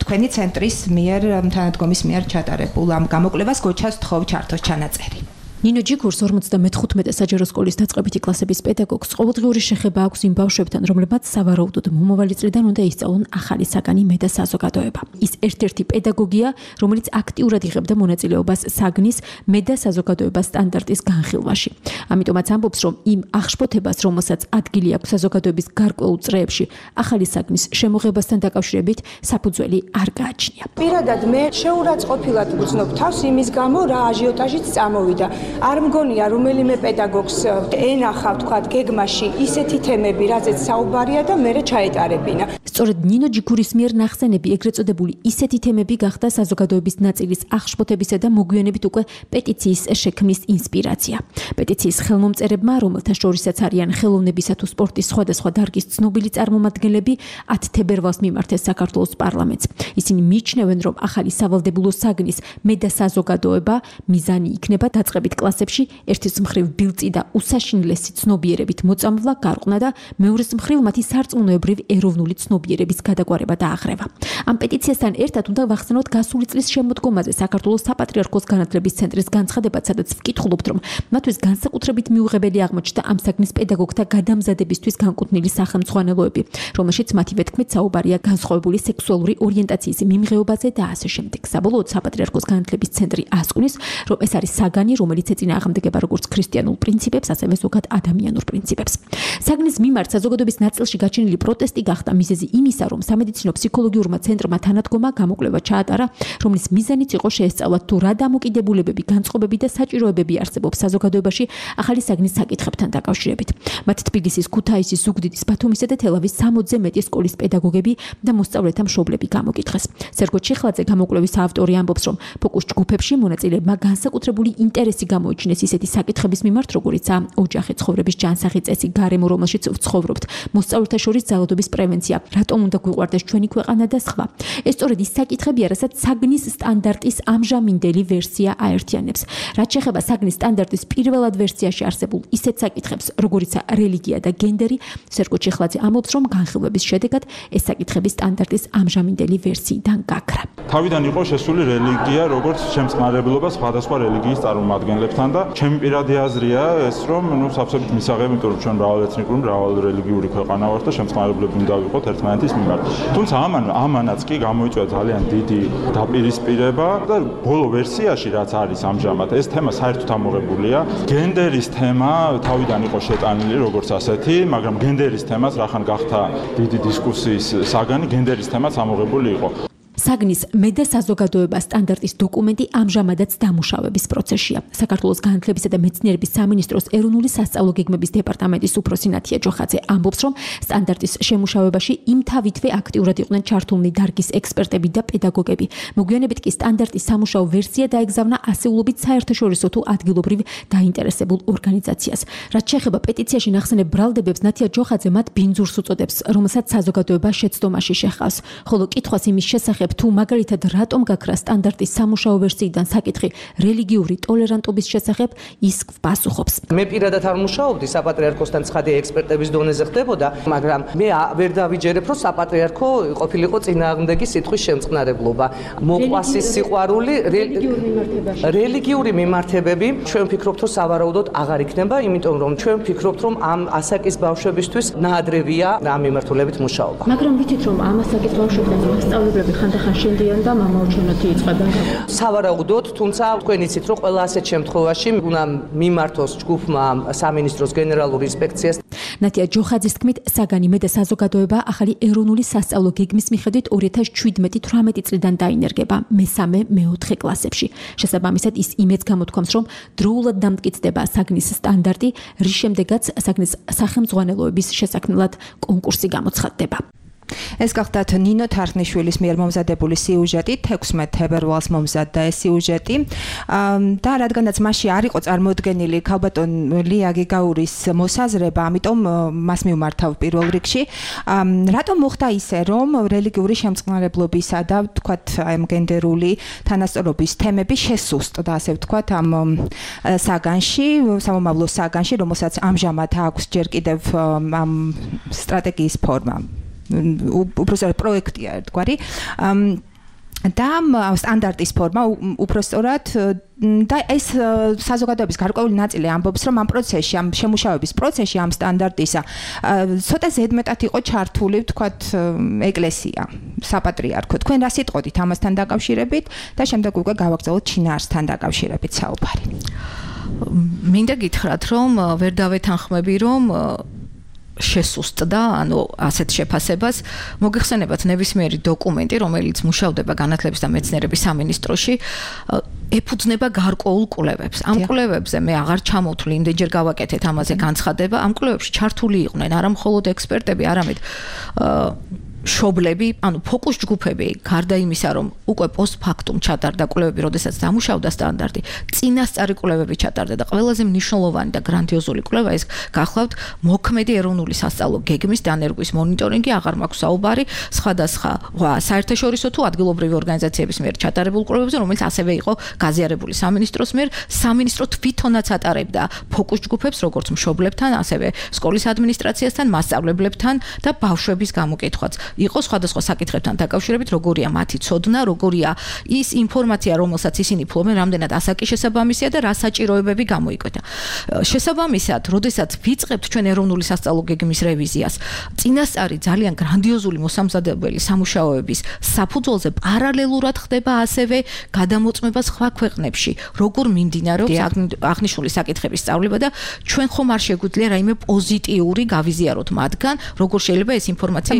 თქვენი ცენტრის მიერ თანადგომის მიერ ჩატარებულ ამ გამოკვლევას გოჩას თხოვ ჩართოს ჩანაწერი. ნინო ჯიქურს 55 საჯარო სკოლის დაწყებითი კლასების პედაგოგს ყოველდღიური შეხება აქვს იმ ბავშვებთან, რომლებმაც სავარაუდოდ მომავალი წლიდან უნდა ისწავლონ ახალი საგანი მე და საზოგადოება. ის ერთ-ერთი პედაგოგია, რომელიც აქტიურად იღებდა მონაწილეობას საგნის მე და საზოგადოება სტანდარტის განხილვაში. ამიტომაც ამბობს, რომ იმ აღშფოთებას, რომელსაც ადგილი აქვს საზოგადოების გარკვეულ წრეებში, ახალი საგნის შემოღებასთან დაკავშირებით საფუძველი არ გააჩნია. პირადად მე შეურაცხყოფილად ვუცნობ თავს იმის გამო, რა აჟიოტაჟიც წამოვიდა. არ მგონია რომელიმე პედაგოგს ენახა ვთქვათ გეგმაში ისეთი თემები, რაზეც საუბარია და მერე ჩაეტარებინა. სწორედ ნინო ჯიქურის მიერ ნახსენები, ეგრეთ წოდებული ისეთი თემები გახდა საზოგადოების ნაწილის აღშფოთებისა და მოგვიანებით უკვე პეტიციის შექმნის ინსპირაცია. პეტიციის ხელმომწერებმა, რომელთა შორისაც არიან ხელოვნებისა თუ სპორტის სხვადასხვა დარგის ცნობილი წარმომადგენლები, 10 თებერვალს მიმართეს საქართველოს პარლამენტს. ისინი მიიჩნევენ, რომ ახალი სავალდებულო საგნის მე და საზოგადოება მიზანი იქნება დაწყებით კლასებში ერთის მხრივ ბილწი და უსაშინლესი ცნობიერებით მოწამვლა, გარყვნა და მეორეს მხრივ მათი სარწმუნოებრივ ეროვნული ცნობიერების გადაგვარება და აღრევა. ამ პეტიციასთან ერთად უნდა ვახსენოთ გასული წლის შემოდგომაზე საქართველოს საპატრიარქოს განათლების ცენტრის განცხადებაც, სადაც ვკითხულობთ, რომ მათთვის განსაკუთრებით მიუღებელი აღმოჩნდა ამ საგნის პედაგოგთა გადამზადებისთვის განკუთვნილი სახელმძღვანელოები, რომელშიც მათივე თქმით საუბარია განსხვავებული სექსუალური ორიენტაციის მიმღეობაზე და ასე შემდეგ. საბოლოოდ საპატრიარქოს განათლების ცენტრი ასკუნის, რომ ეს არის საგანი, რომელიც ეწინააღმდეგება როგორც ქრისტიანულ პრინციპებს, ასევე ზოგად ადამიანურ პრინციპებს. საგნის მიმართ საზოგადოების ნაწილში გაჩენილი პროტესტი გახდა მიზეზი იმისა, რომ სამედიცინო ფსიქოლოგიურმა ცენტრმა თანადგომა გამოკვლევა ჩაატარა, რომლის მიზანიც იყო შეესწავლათ თუ რა დამოკიდებულებები, განწყობები და საჭიროებები არსებობს საზოგადოებაში ახალი საგნის საკითხებთან დაკავშირებით. მათ თბილისის, ქუთაისის, ზუგდიდის, ბათუმისა და თელავის 60-ზე მეტი სკოლის პედაგოგები და მოსწავლეთა მშობლები გამოკითხეს. სერგო ჩიხლაძე, გამოკვლევის ავტორი, ამბობს, რომ ფოკუს ჯგუფებში მონაწილეებმა განსაკუთრებული ინტერესი გამოიჩინეს ისეთი საკითხების მიმართ, როგორიცაა ოჯახი, ცხოვრების ჯანსაღი წესი, გარემო, რომელშიც ვცხოვრობთ, მოსწავლეთა შორის ძალადობის პრევენცია, რატომ უნდა გვიყვარდეს ჩვენი ქვეყანა და სხვა. ეს სწორედ ის საკითხებია, რასაც საგნის სტანდარტის ამჟამინდელი ვერსია აერთიანებს. რაც შეეხება საგნის სტანდარტის პირველად ვერსიაში არსებულ ისეთ საკითხებს, როგორიცაა რელიგია და გენდერი, სერგო ჩიხლაძე ამბობს, რომ განხილვების შედეგად ეს საკითხები სტანდარტის ამჟამინდელი ვერსიიდან გაქრა. თავიდან იყო შესული რელიგია, როგორც შემწყნარებლობა სხვადასხვა რელიგიის წარმომადგენლებთან და ჩემი პირადი აზრია ეს, რომ სავსებით მისაღები, იმიტომ რომ ჩვენ მრავალეთნიკური, მრავალრელიგიური ქვეყანა ვართ და შემწყნარებლები უნდა ვიყოთ ერთმანეთის მიმართ. თუმცა ამანაც კი გამოიწვია ძალიან დიდი დაპირისპირება და ბოლო ვერსიაში რაც არის ამჟამად, ეს თემა საერთოდ ამოღებულია. გენდერის თემა თავიდან იყო შეტანილი როგორც ასეთი, მაგრამ გენდერის თემას რახან გახდა დიდი დისკუსიის საგანი, გენდერის თემაც ამოღებული იყო. საგნის მე და საზოგადოება სტანდარტის დოკუმენტი ამჟამადაც დამუშავების პროცესშია. საქართველოს განათლებისა და მეცნიერების სამინისტროს ეროვნული სასწავლო გეგმების დეპარტამენტის უფროსი ნათია ჯოხაძე ამბობს, რომ სტანდარტის შემუშავებაში იმთავითვე აქტიურად იყვნენ ჩართულნი დარგის ექსპერტები და პედაგოგები. მოგვიანებით კი სტანდარტის სამუშაო ვერსია დაეგზავნა ასეულობით საერთაშორისო თუ ადგილობრივ დაინტერესებულ ორგანიზაციას. რაც შეეხება პეტიციაში ნახსენებ ბრალდებებს, ნათია ჯოხაძე მათ ბინძურს უწოდებს, რომელსაც საზოგადოება შეცდომაში შეჰყავს. ხოლო კითხვას იმის შესახებ თუ მაგალითად რატომ გაქრა სტანდარტის სამუშაო ვერსიიდან საკითხი რელიგიური ტოლერანტობის შესახებ, ის პასუხობს. მე პირადად არ მუშაობდი საპატრიარქოსთან, ცხადია ექსპერტების დონეზე ხდებოდა, მაგრამ მე ვერ დავიჯერებ, რომ საპატრიარქო ყოფილიყო წინააღმდეგი სიტყვის შემწყნარებლობა. მოყვასის სიყვარული რელიგიური მიმართებები, ჩვენ ვფიქრობთ, რომ სავარაუდოდ აღარ იქნება, იმიტომ რომ ჩვენ ვფიქრობთ, რომ ამ ასაკის ბავშვებისთვის ნაადრევია ამ მიმართულებით მუშაობა. მაგრამ ვიცით, რომ ამ ასაკის ბავშვებთან მასწავლებლები ხანდახან შენდიან და მამაოჩენოთი იწყებენ. სავარაუდოდ, თუმცა თქვენ იცით, რომ ყველა ასეთ შემთხვევაში უნდა მიმართოს ჯგუფმა სამინისტროს გენერალური ინსპექციას. ნათია ჯოხაძის თქმით, საგანი მე და საზოგადოება ახალი ეროვნული სასწავლო გეგმის მიხედვით 2017-18 წლიდან დაინერგება მე-4 კლასებში. შესაბამისად, ის იმედს გამოთქვამს, რომ დროულად დამტკიცდება საგნის სტანდარტი, რის შემდეგაც საგნის სახელმძღვანელოების შესაქმნელად კონკურსი გამოცხადდება. ეს გახლდათ ნინო თარხნიშვილის მიერ მომზადებული სიუჟეტი 16 თებერვალს მომზადდა ეს სიუჟეტი და რადგანაც მასში არ იყო წარმოდგენილი ქალბატონ ლია გიგაურის მოსაზრება, ამიტომ მას მივმართავ პირველ რიგში. რატომ მოხდა ისე, რომ რელიგიური შემწყნარებლობისა და თქვათ აი გენდერული თანასწორობის თემები შესუსტდა, ასე ვთქვათ, ამ საგანში, სამომავლო საგანში, რომელსაც ამჟამად აქვს ჯერ კიდევ ამ სტრატეგიის ფორმა. უბრალოდ პროექტია ერთგვარი და სტანდარტის ფორმა უпростоრად და ეს საზოგადოების გარკვეული ნაწილი ამბობს, რომ ამ პროცესში, ამ შემუშავების პროცესში, ამ სტანდარტისა ცოტა ზედმეტად იყო ჩართული, ვთქვათ, ეკლესია, საპატრიარქო. თქვენ რა სიტყოდით ამასთან დაკავშირებით და შემდეგ უკვე გავაგრძელოთ შინაარსთან დაკავშირებით საუბარი. მინდა გითხრათ, რომ ვერ დავეთანხმები, რომ შესუსტდა, ანუ ასეთ შეფასებას მოგეხსენებათ ნებისმიერი დოკუმენტი, რომელიც მუშავდება განათლების და მეცნიერების სამინისტროში, ეფუძნება გარკვეულ კვლევებს. ამ კვლევებზე მე აღარ ჩამოვთვლი, იმდენჯერ გავაკეთეთ ამაზე განცხადება. ამ კვლევებში ჩართული იყვნენ არა მხოლოდ ექსპერტები, არამედ შობლები, ანუ ფოკუს ჯგუფები, გარდა იმისა, რომ უკვე პოსტფაქტუმ ჩატარდა კვლევები, როდესაც დამუშავდა სტანდარტი, წინასწარი კვლევები ჩატარდა და ყველაზე მნიშვნელოვანი და გრანდიოზული კვლევა ეს გახლავთ მოქმედი ეროვნული სასწავლო გეგმის დანერგვის მონიტორინგი, აღარ მაქვს საუბარი, სხვადასხვა საერთაშორისო თუ ადგილობრივი ორგანიზაციების მიერ ჩატარებულ კვლევებზე, რომელიც ასევე იყო გაზიარებული სამინისტროს მიერ, სამინისტრო თვითონაც ატარებდა ფოკუს ჯგუფებს, როგორც მშობლებთან, ასევე სკოლის ადმინისტრაციასთან, მასწავლებლებთან და ბავშვების გამოკითხვაც. იყო სხვადასხვა საკითხებთან დაკავშირებით, როგორია მათი ცოდნა, როგორია ის ინფორმაცია, რომელსაც ისინი ფლობენ, რამდენად ასაკის შესაბამისია და რა საჭიროებები გამოიკვეთა. შესაბამისად, როდესაც ვიწყებთ ჩვენ ეროვნული სასწავლო გეგმის რევიზიას, წინასწარი ძალიან გრანდიოზული მოსამზადებელი სამუშაოების საფუძველზე პარალელურად ხდება ასევე გადამოწმება სხვა ქვეყნებში, როგორ მიმდინარეობს აღნიშნული საკითხების სწავლება და ჩვენ ხომ არ შეგვიძლია რაიმე პოზიტიური გავიზიაროთ მათგან, როგორ შეიძლება ეს ინფორმაცია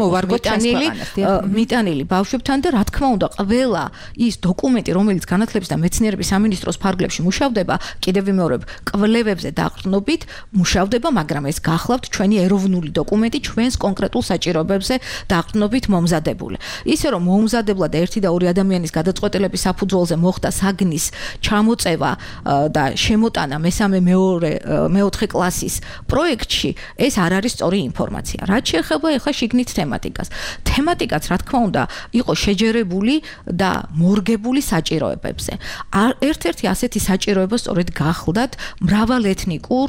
მიტანილი ბავშვებთან და რა თქმა უნდა ყველა ის დოკუმენტი, რომელიც განათლების და მეცნიერების სამინისტროს ფარგლებში მუშავდება, კიდევ ვიმეორებ, კვლევებზე დაყრდნობით მუშავდება, მაგრამ ეს გახლავთ ჩვენი ეროვნული დოკუმენტი, ჩვენს კონკრეტულ საჭიროებებზე დაყრდნობით მომზადებული. ისე რომ მომზადებლა და 1 და 2 ადამიანის გადაწყვეტილების საფუძველზე მოხდა საგნის ჩამოწევა და შემოტანა მე-4 კლასის პროექტში, ეს არ არის სწორი ინფორმაცია. რაც შეეხება ახლა შიგნით თემატიკას. თემატიკაც, რა თქმა უნდა, იყო შეჯერებული და მორგებული საჭიროებებზე. ერთ-ერთი ასეთი საჭიროება სწორედ გახლდათ მრავალეთნიკურ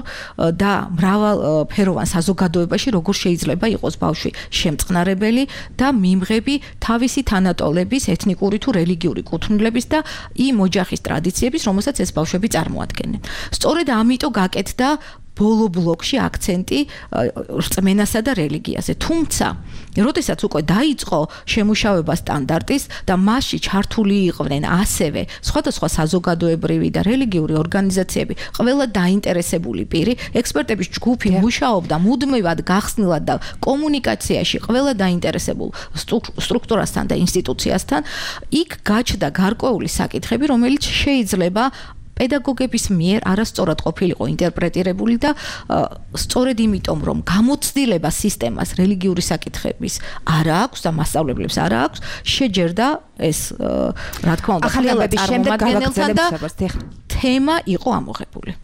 და მრავალფეროვან საზოგადოებაში, როგორ შეიძლება იყოს ბავშვი შემწყნარებელი და მიმღები თავისი თანატოლების, ეთნიკური თუ რელიგიური კუთვნილების და იმ ოჯახის ტრადიციების, რომელსაც ეს ბავშვები წარმოადგენენ. სწორედ ამიტომ გაკეთდა ბოლო ბლოკში აქცენტი რწმენასა და რელიგიაზე. თუმცა, როდესაც უკვე დაიწყო შემუშავება სტანდარტის და მასში ჩართული იყვნენ ასევე სხვადასხვა საზოგადოებრივი და რელიგიური ორგანიზაციები, ყველა დაინტერესებული პირი, ექსპერტების ჯგუფი მუშაობდა მუდმივად გახსნილად და კომუნიკაციაში ყველა დაინტერესებულ სტრუქტურასთან და ინსტიტუციასთან, იქ გაჩნდა გარკვეული საკითხები, რომელიც შეიძლება პედაგოგების მიერ არასწორად ყოფილიყო ინტერპრეტირებული და სწორედ იმიტომ, რომ გამოცდილება სისტემას რელიგიური საკითხების არ აქვს და მასწავლებლებს არ აქვს, შეჯერდა ეს, რა თქმა უნდა, ახალების შემდეგ გავაგრძელებთ და თემა იყო ამოღებული.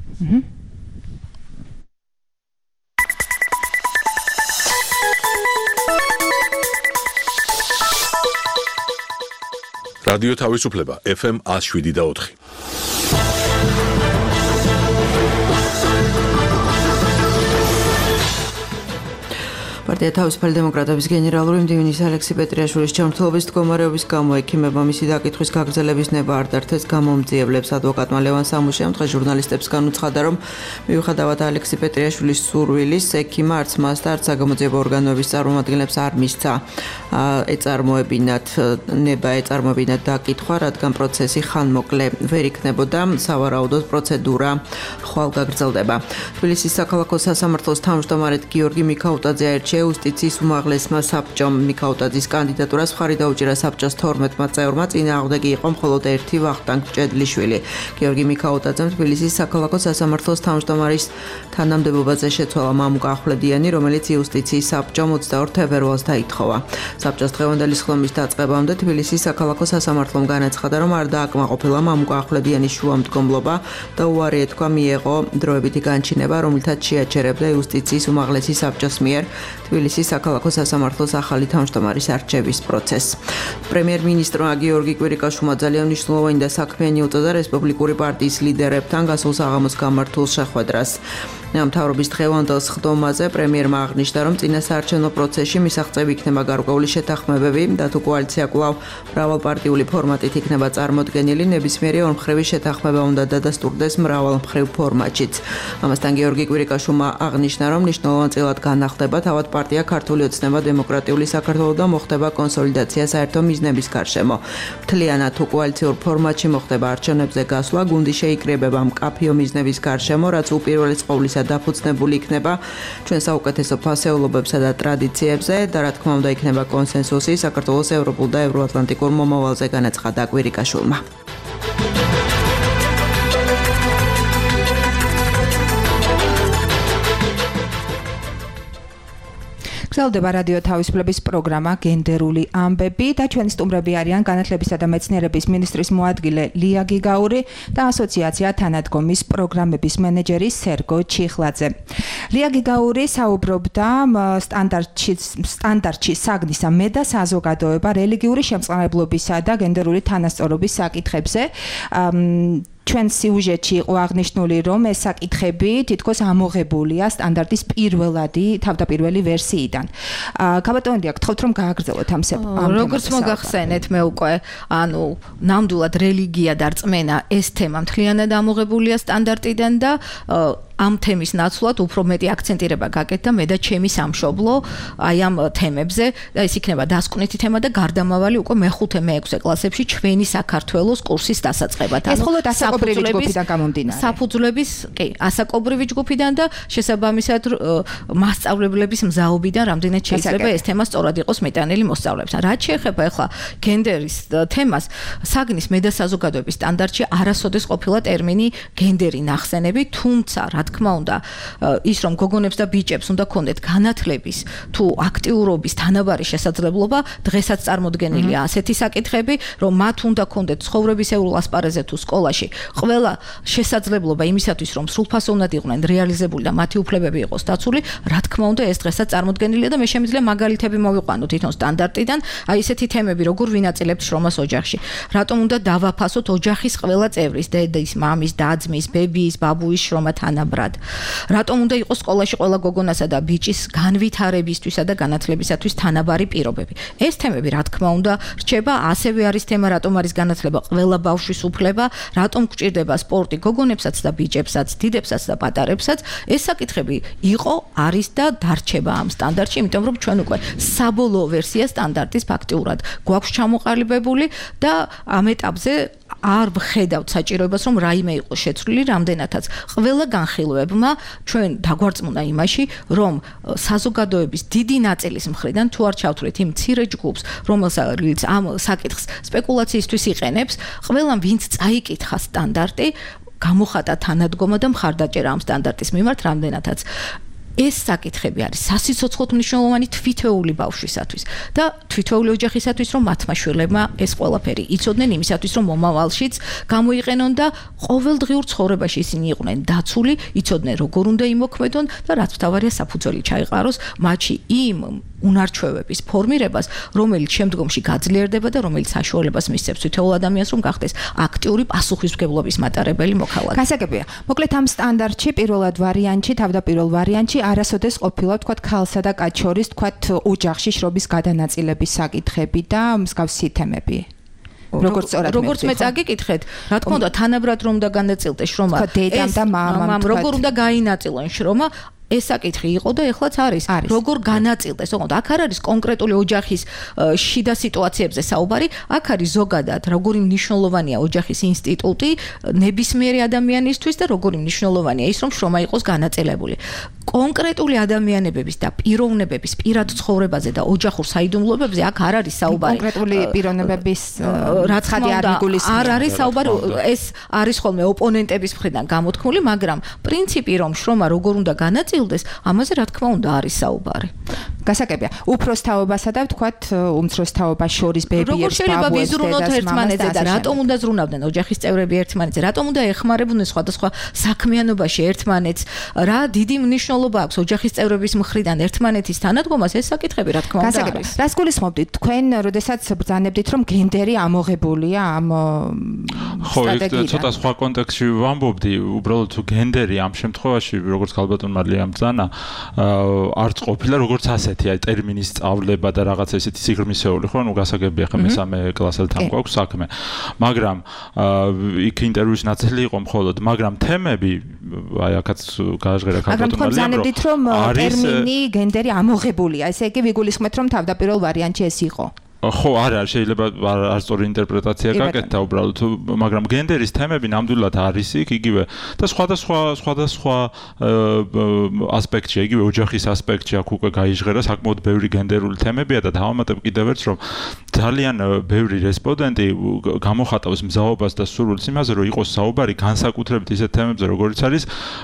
რადიო თავისუფლება FM 107.4. პარტია თავისუფალი დემოკრატების გენერალური მდივნის ალექსი პეტრიაშვილის ჯანმრთელობის მდგომარეობის გამო ექიმებმა მისი დაკითხვის გაგრძელების ნება არ დართეს გამომძიებლებს. ადვოკატმა ლევან სამუშიამ დღეს ჟურნალისტებს განუცხადა, რომ მიუხედავად ალექსი პეტრიაშვილის სურვილის, ექიმმა არც მას და არც საგამოძიებო ორგანოების წარმომადგენლებს არ მისცა ეწარმოებინათ დაკითხვა, რადგან პროცესი ხანმოკლე ვერ იქნებოდა, სავარაუდოდ პროცედურა ხვალ გაგრძელდება. თბილისის საქალაქო სასამართლოს თავმჯდომარედ გიორგი მიქაუტაძე აირჩია იუსტიციის უმაღლესმა საბჭომ. მიქაუტაძის კანდიდატურას მხარი დაუჭირა საბჭოს 12-მა წევრმა, წინააღმდეგი იყო მხოლოდ ერთი ვახტანგ ჭედლიშვილი. გიორგი მიქაუტაძემ თბილისის საქალაქო სასამართლოს თავმჯდომარის თანამდებობაზე შეცვალა მამუკა ახვლედიანი, რომელიც იუსტიციის საბჭომ 22 თებერვალს დაითხოვა. საბჭოს დღევანდელი ხლომის დაწყებამდე თბილისის საქალაქო სასამართლომ განაცხადა, რომ არ დააკმაყოფილა მამუკა ახვლედიანის შუამდგომლობა და უარი ეთქვა მიეღო დროებითი განჩინება, რომლითაც შეაჩერებდა იუსტიციის უმაღლესი საბჭოს მიერ თბილისის საქალაქო სასამართლოს ახალი თავმჯდომარის არჩევის პროცესს. პრემიერ-მინისტრმა გიორგი კვირიკაშვილმა ძალიან მნიშვნელოვანი და საქმიანი უწოდა რესპუბლიკური პარტიის ლიდერებთან გასულ საღამოს გამართულ შეხვედრას. მთავრობის დღევანდელ სხდომაზე პრემიერმა აღნიშნა, რომ წინასაარჩევნო პროცესში მისაღწევი იქნება გარკვეული შეთანხმებები და თუ კოალიცია კვლავ მრავალპარტიული ფორმატით იქნება წარმოდგენილი, ნებისმიერი ორმხრივი შეთანხმება უნდა დადასტურდეს მრავალმხრივ ფორმატშიც. ამასთან გიორგი კვირიკაშვილმა აღნიშნა, რომ მნიშვნელოვანწილად განახლდება თავად პარტია ქართული ოცნება დემოკრატიული საქართველო და მოხდება კონსოლიდაცია საერთო მიზნების გარშემო. მთლიანად თუ კოალიციურ ფორმატში მოხდება არჩევნებზე გასვლა, გუნდი შეიკრიბება მკაფიო მიზნების გარშემო, რაც უპირველეს ყოვლისა დაფუძნებული იქნება ჩვენ საუკეთესო ფასეულობებსა და ტრადიციებზე და რა თქმა უნდა იქნება კონსენსუსი საქართველოს ევროპულ და ევროატლანტიკურ მომავალზე, განაცხადა კვირიკაშვილმა. გრძელდება რადიო თავისუფლების პროგრამა გენდერული ამბები და ჩვენი სტუმრები არიან განათლებისა და მეცნიერების მინისტრის მოადგილე ლია გიგაური და ასოციაცია თანადგომის პროგრამების მენეჯერი სერგო ჩიხლაძე. ლია გიგაური საუბრობდა სტანდარტში საგნისა მე და საზოგადოება რელიგიური შემწყნარებლობისა და გენდერული თანასწორობის საკითხებზე. ჩვენ სიუჟეტში იყო აღნიშნული, რომ ეს საკითხები თითქოს ამოღებულია სტანდარტის თავდაპირველი ვერსიიდან. გაბატონებია, გთხოვთ რომ გააგრძელოთ ამ თემას. როგორც მოგახსენეთ, მე უკვე ნამდვილად რელიგია და რწმენა ეს თემა მთლიანად ამოღებულია სტანდარტიდან და ამ თემის ნაცვლად უფრო მეტი აქცენტირება გაკეთდა მე და ჩემი სამშობლო აი ამ თემებზე და ეს იქნება დასკვნითი თემა და გარდამავალი უკვე მე-5 მე-6 კლასებში ჩვენი საქართველოს კურსის დასაწყებად. ეს მხოლოდ ასაკობრივი ჯგუფიდან გამომდინარე. საფუძვლების, კი, ასაკობრივი ჯგუფიდან და შესაბამისად მასწავლებლების მზაობიდან რამდენად შეიძლება ეს თემა სწორად იყოს მეტანილი მოსწავლეებთან. რაც შეეხება ახლა გენდერის თემას, საგნის მე და საზოგადოების სტანდარტში არასოდეს ყოფილა ტერმინი გენდერი ნახსენები, თუმცა რა თქმა უნდა, ის რომ გოგონებს და ბიჭებს უნდა ქონდეთ განათლების თუ აქტიურობის თანაბარი შესაძლებლობა, დღესაც წარმოდგენილია ასეთი საკითხები, რომ მათ უნდა ქონდეთ ცხოვრებისეულ ასპარეზზე თუ სკოლაში ყველა შესაძლებლობა იმისათვის, რომ სრულფასოვნად იყვნენ რეალიზებული და მათი უფლებები იყოს დაცული, რა თქმა უნდა, ეს დღესაც წარმოდგენილია და მე შემიძლია მაგალითები მოვიყვანო თვითონ სტანდარტიდან, აი ესეთი თემები, როგორ ვინაწილებთ შრომას ოჯახში, რატომ უნდა დავაფასოთ ოჯახის ყველა წევრის, დედის, მამის, და-ძმის, ბებიის, ბაბუის შრომა თანაბრად. მყარად. რატომ უნდა იყოს სკოლაში ყველა გოგონასა და ბიჭის განვითარებისთვისა და განათლებისათვის თანაბარი პირობები? ეს თემები, რა თქმა უნდა, რჩება, ასევე არის თემა, რატომ არის განათლება ყველა ბავშვის უფლება, რატომ გჭირდება სპორტი გოგონებსაც და ბიჭებსაც, დიდებსაც და პატარებსაც. ეს საკითხები იყო, არის და დარჩება ამ სტანდარტში, იმიტომ რომ ჩვენ უკვე საბოლოო ვერსია სტანდარტის ფაქტიურად გვაქვს ჩამოყალიბებული და ამ ეტაპზე არ ვხედავთ საჭიროებას, რომ რაიმე იყოს შეცვლილი, რამდენადაც ყველა განხილვებმა ჩვენ დაგვარწმუნა იმაში, რომ საზოგადოების დიდი ნაწილის მხრიდან თუ არ ჩავთვლით იმ მცირე ჯგუფს, რომელსაც ამ საკითხს სპეკულაციისთვის იყენებს, ყველამ ვინც წაიკითხა სტანდარტი, გამოხატა თანადგომა და მხარდაჭერა ამ სტანდარტის მიმართ, რამდენადაც ეს საკითხები არის სასიცოცხლოდ მნიშვნელოვანი თვითეული ბავშვისათვის და თვითეული ოჯახისათვის, რომ მათმა შვილებმა ეს ყველაფერი იცოდნენ იმისათვის, რომ მომავალშიც გამოიყენონ და ყოველდღიურ ცხოვრებაში ისინი იყვნენ დაცული, იცოდნენ როგორ უნდა იმოქმედონ და რაც მთავარია საფუძველი ჩაეყაროს მათში იმ უნარჩვევების ფორმირებას, რომელიც შემდგომში გაძლიერდება და რომელიც საშუალებას მისცემს თითოეულ ადამიანს, რომ გახდეს აქტიური პასუხისმგებლობის მატარებელი მოქალაქე. გასაგებია. მოკლედ ამ სტანდარტში პირველად ვარიანტში, თავდაპირველ ვარიანტში არასოდეს ყოფილა თქვათ ქალსა და კაცს შორის თქვათ ოჯახში შრობის გადანაწილების საკითხები და მსგავსი თემები. როგორც მე წაგიკითხეთ, რა თქმა უნდა, თანაბრად რომ უნდა განაწილდეს შრომა. დედამ და მამამ როგორ უნდა გაინაწილონ შრომა? ეს საკითხი იყო და ეხლაც არის. როგორ განაწილდეს? ოღონდ აქ არ არის კონკრეტული ოჯახის შიდა სიტუაციებზე საუბარი, აქ არის ზოგადად როგორი მნიშვნელოვანია ოჯახის ინსტიტუტი ნებისმიერი ადამიანისთვის და როგორი მნიშვნელოვანია ის, რომ შრომა იყოს განაწილებული. კონკრეტული ადამიანების და პიროვნებების პირად ცხოვრებაზე და ოჯახურ საიდუმლოებებზე აქ არ არის საუბარი. კონკრეტული პიროვნებების რა თქმა უნდა არ არის საუბარი, ეს არის ხოლმე ოპონენტების მხრიდან გამოთქმული, მაგრამ პრინციპი რომ შრომა როგორ უნდა განაწილდეს, ამაზე რა თქმა უნდა არის საუბარი. გასაგებია. უფროსთაობასა და ვთქვათ უმცროსთაობას შორის ბებიებს, როგორ შეიძლება ვიზრუნოთ ერთმანეთზე და რატომ უნდა ზრუნავდნენ ოჯახის წევრები ერთმანეთზე? რატომ უნდა ეხმარებოდნენ სხვადასხვა საქმიანობაში ერთმანეთს? რა დიდი მნიშვნელობა აქვს ოჯახის წევრების მხრიდან ერთმანეთის თანადგომას? ეს საკითხები რა თქმა უნდა არის. რას გულისხმობდით თქვენ, როდესაც ბრძანებდით, რომ გენდერი ამოღებულია ამ სტრატეგიიდან? ხო, ცოტა სხვა კონტექსტში ვამბობდი, უბრალოდ თუ გენდერი ამ შემთხვევაში, როგორც ქალბატონ მარლიამ ბრძანა, არც ყოფილა როგორც ასეთი, აი ტერმინის სწავლება და რაღაც ესეთი სიღრმისეული, ხო, ნუ გასაგებია ხა მესამე კლასელთან გვაქვს საქმე. მაგრამ იქ ინტერვიუს ნაწილი იყო მხოლოდ, მაგრამ თემები აი აქაც გააჟღერა ქალბატონ მარლიამ, რომ ტერმინი გენდერი ამოღებულია, ესე იგი ვიგულისხმეთ, რომ თავდაპირველ ვარიანტში ეს იყო. ხო, არა, შეიძლება არ სწორი ინტერპრეტაცია გაკეთდა უბრალოდ, მაგრამ გენდერის თემები ნამდვილად არის იქ იგივე და სხვადასხვა ასპექტში, იგივე ოჯახის ასპექტში აქ უკვე გაიჟღერა საკმაოდ ბევრი გენდერული თემებია და დავამატებ კიდევ ერთს, რომ ძალიან ბევრი რესპონდენტი გამოხატავს მზაობას და სურვილს იმაზე, რომ იყოს საუბარი განსაკუთრებით ისეთ თემებზე, როგორიც არის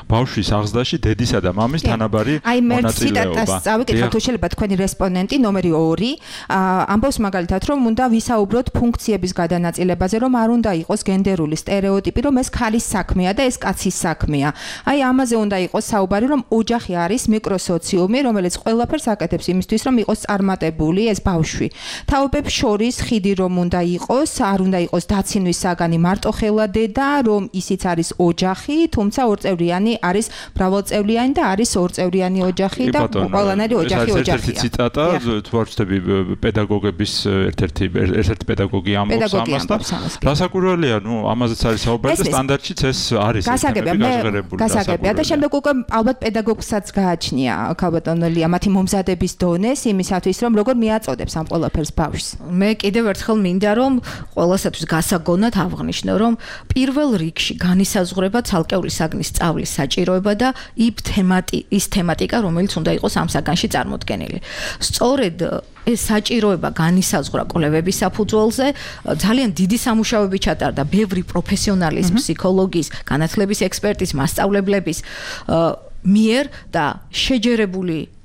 ბავშვის აღზრდაში დედისა და მამის თანაბარი მონაწილეობა. აი მე ციტატას წავიკითხავ, თუ შეიძლება თქვენი რესპონდენტი ნომერი 2 ამბობს მაგალითად, რომ უნდა ვისაუბროთ ფუნქციების გადანაწილებაზე, რომ არ უნდა იყოს გენდერული სტერეოტიპი, რომ ეს ქალის საქმეა და ეს კაცის საქმეა. აი ამაზე უნდა იყოს საუბარი, რომ ოჯახი არის მიკროსოციუმი, რომელიც ყველაფერს აკეთებს იმისთვის, რომ იყოს წარმატებული ეს ბავშვი. თაობებს შორის ხიდი რომ უნდა იყოს, არ უნდა იყოს დაცინვის საგანი მარტოხელა დედა, რომ ისიც არის ოჯახი, თუმცა ორწევრიანი არის მრავალწევრიანი და არის ორწევრიანი ოჯახი და ყველანაირი ოჯახი ოჯახია. ერთ-ერთი ციტატა, თუ არ ვცდები პედაგოგების ერთ-ერთი პედაგოგი ამბობს ამას და გასაკვირველია, ნუ ამაზეც არის საუბარი და სტანდარტშიც ეს არის გასაგებია. გასაგებია და შემდეგ უკვე ალბათ პედაგოგსაც გააჩნია ქალბატონ ლია მათი მომზადების დონეს იმისათვის, რომ როგორ მიაწოდებს ამ ყველაფერს ბავშვს. მე კიდევ ერთხელ მინდა რომ ყველასათვის გასაგონად აღვნიშნო, რომ პირველ რიგში განისაზღვრება ცალკეული საგნის სწავლის საჭიროება და ის თემატიკა, რომელიც უნდა იყოს ამ საგანში წარმოდგენილი. სწორედ ეს საჭიროება განისაზღვრა კვლევების საფუძველზე, ძალიან დიდი სამუშაოები ჩატარდა ბევრი პროფესიონალის, ფსიქოლოგის, განათლების ექსპერტის, მასწავლებლების მიერ და შეჯერებული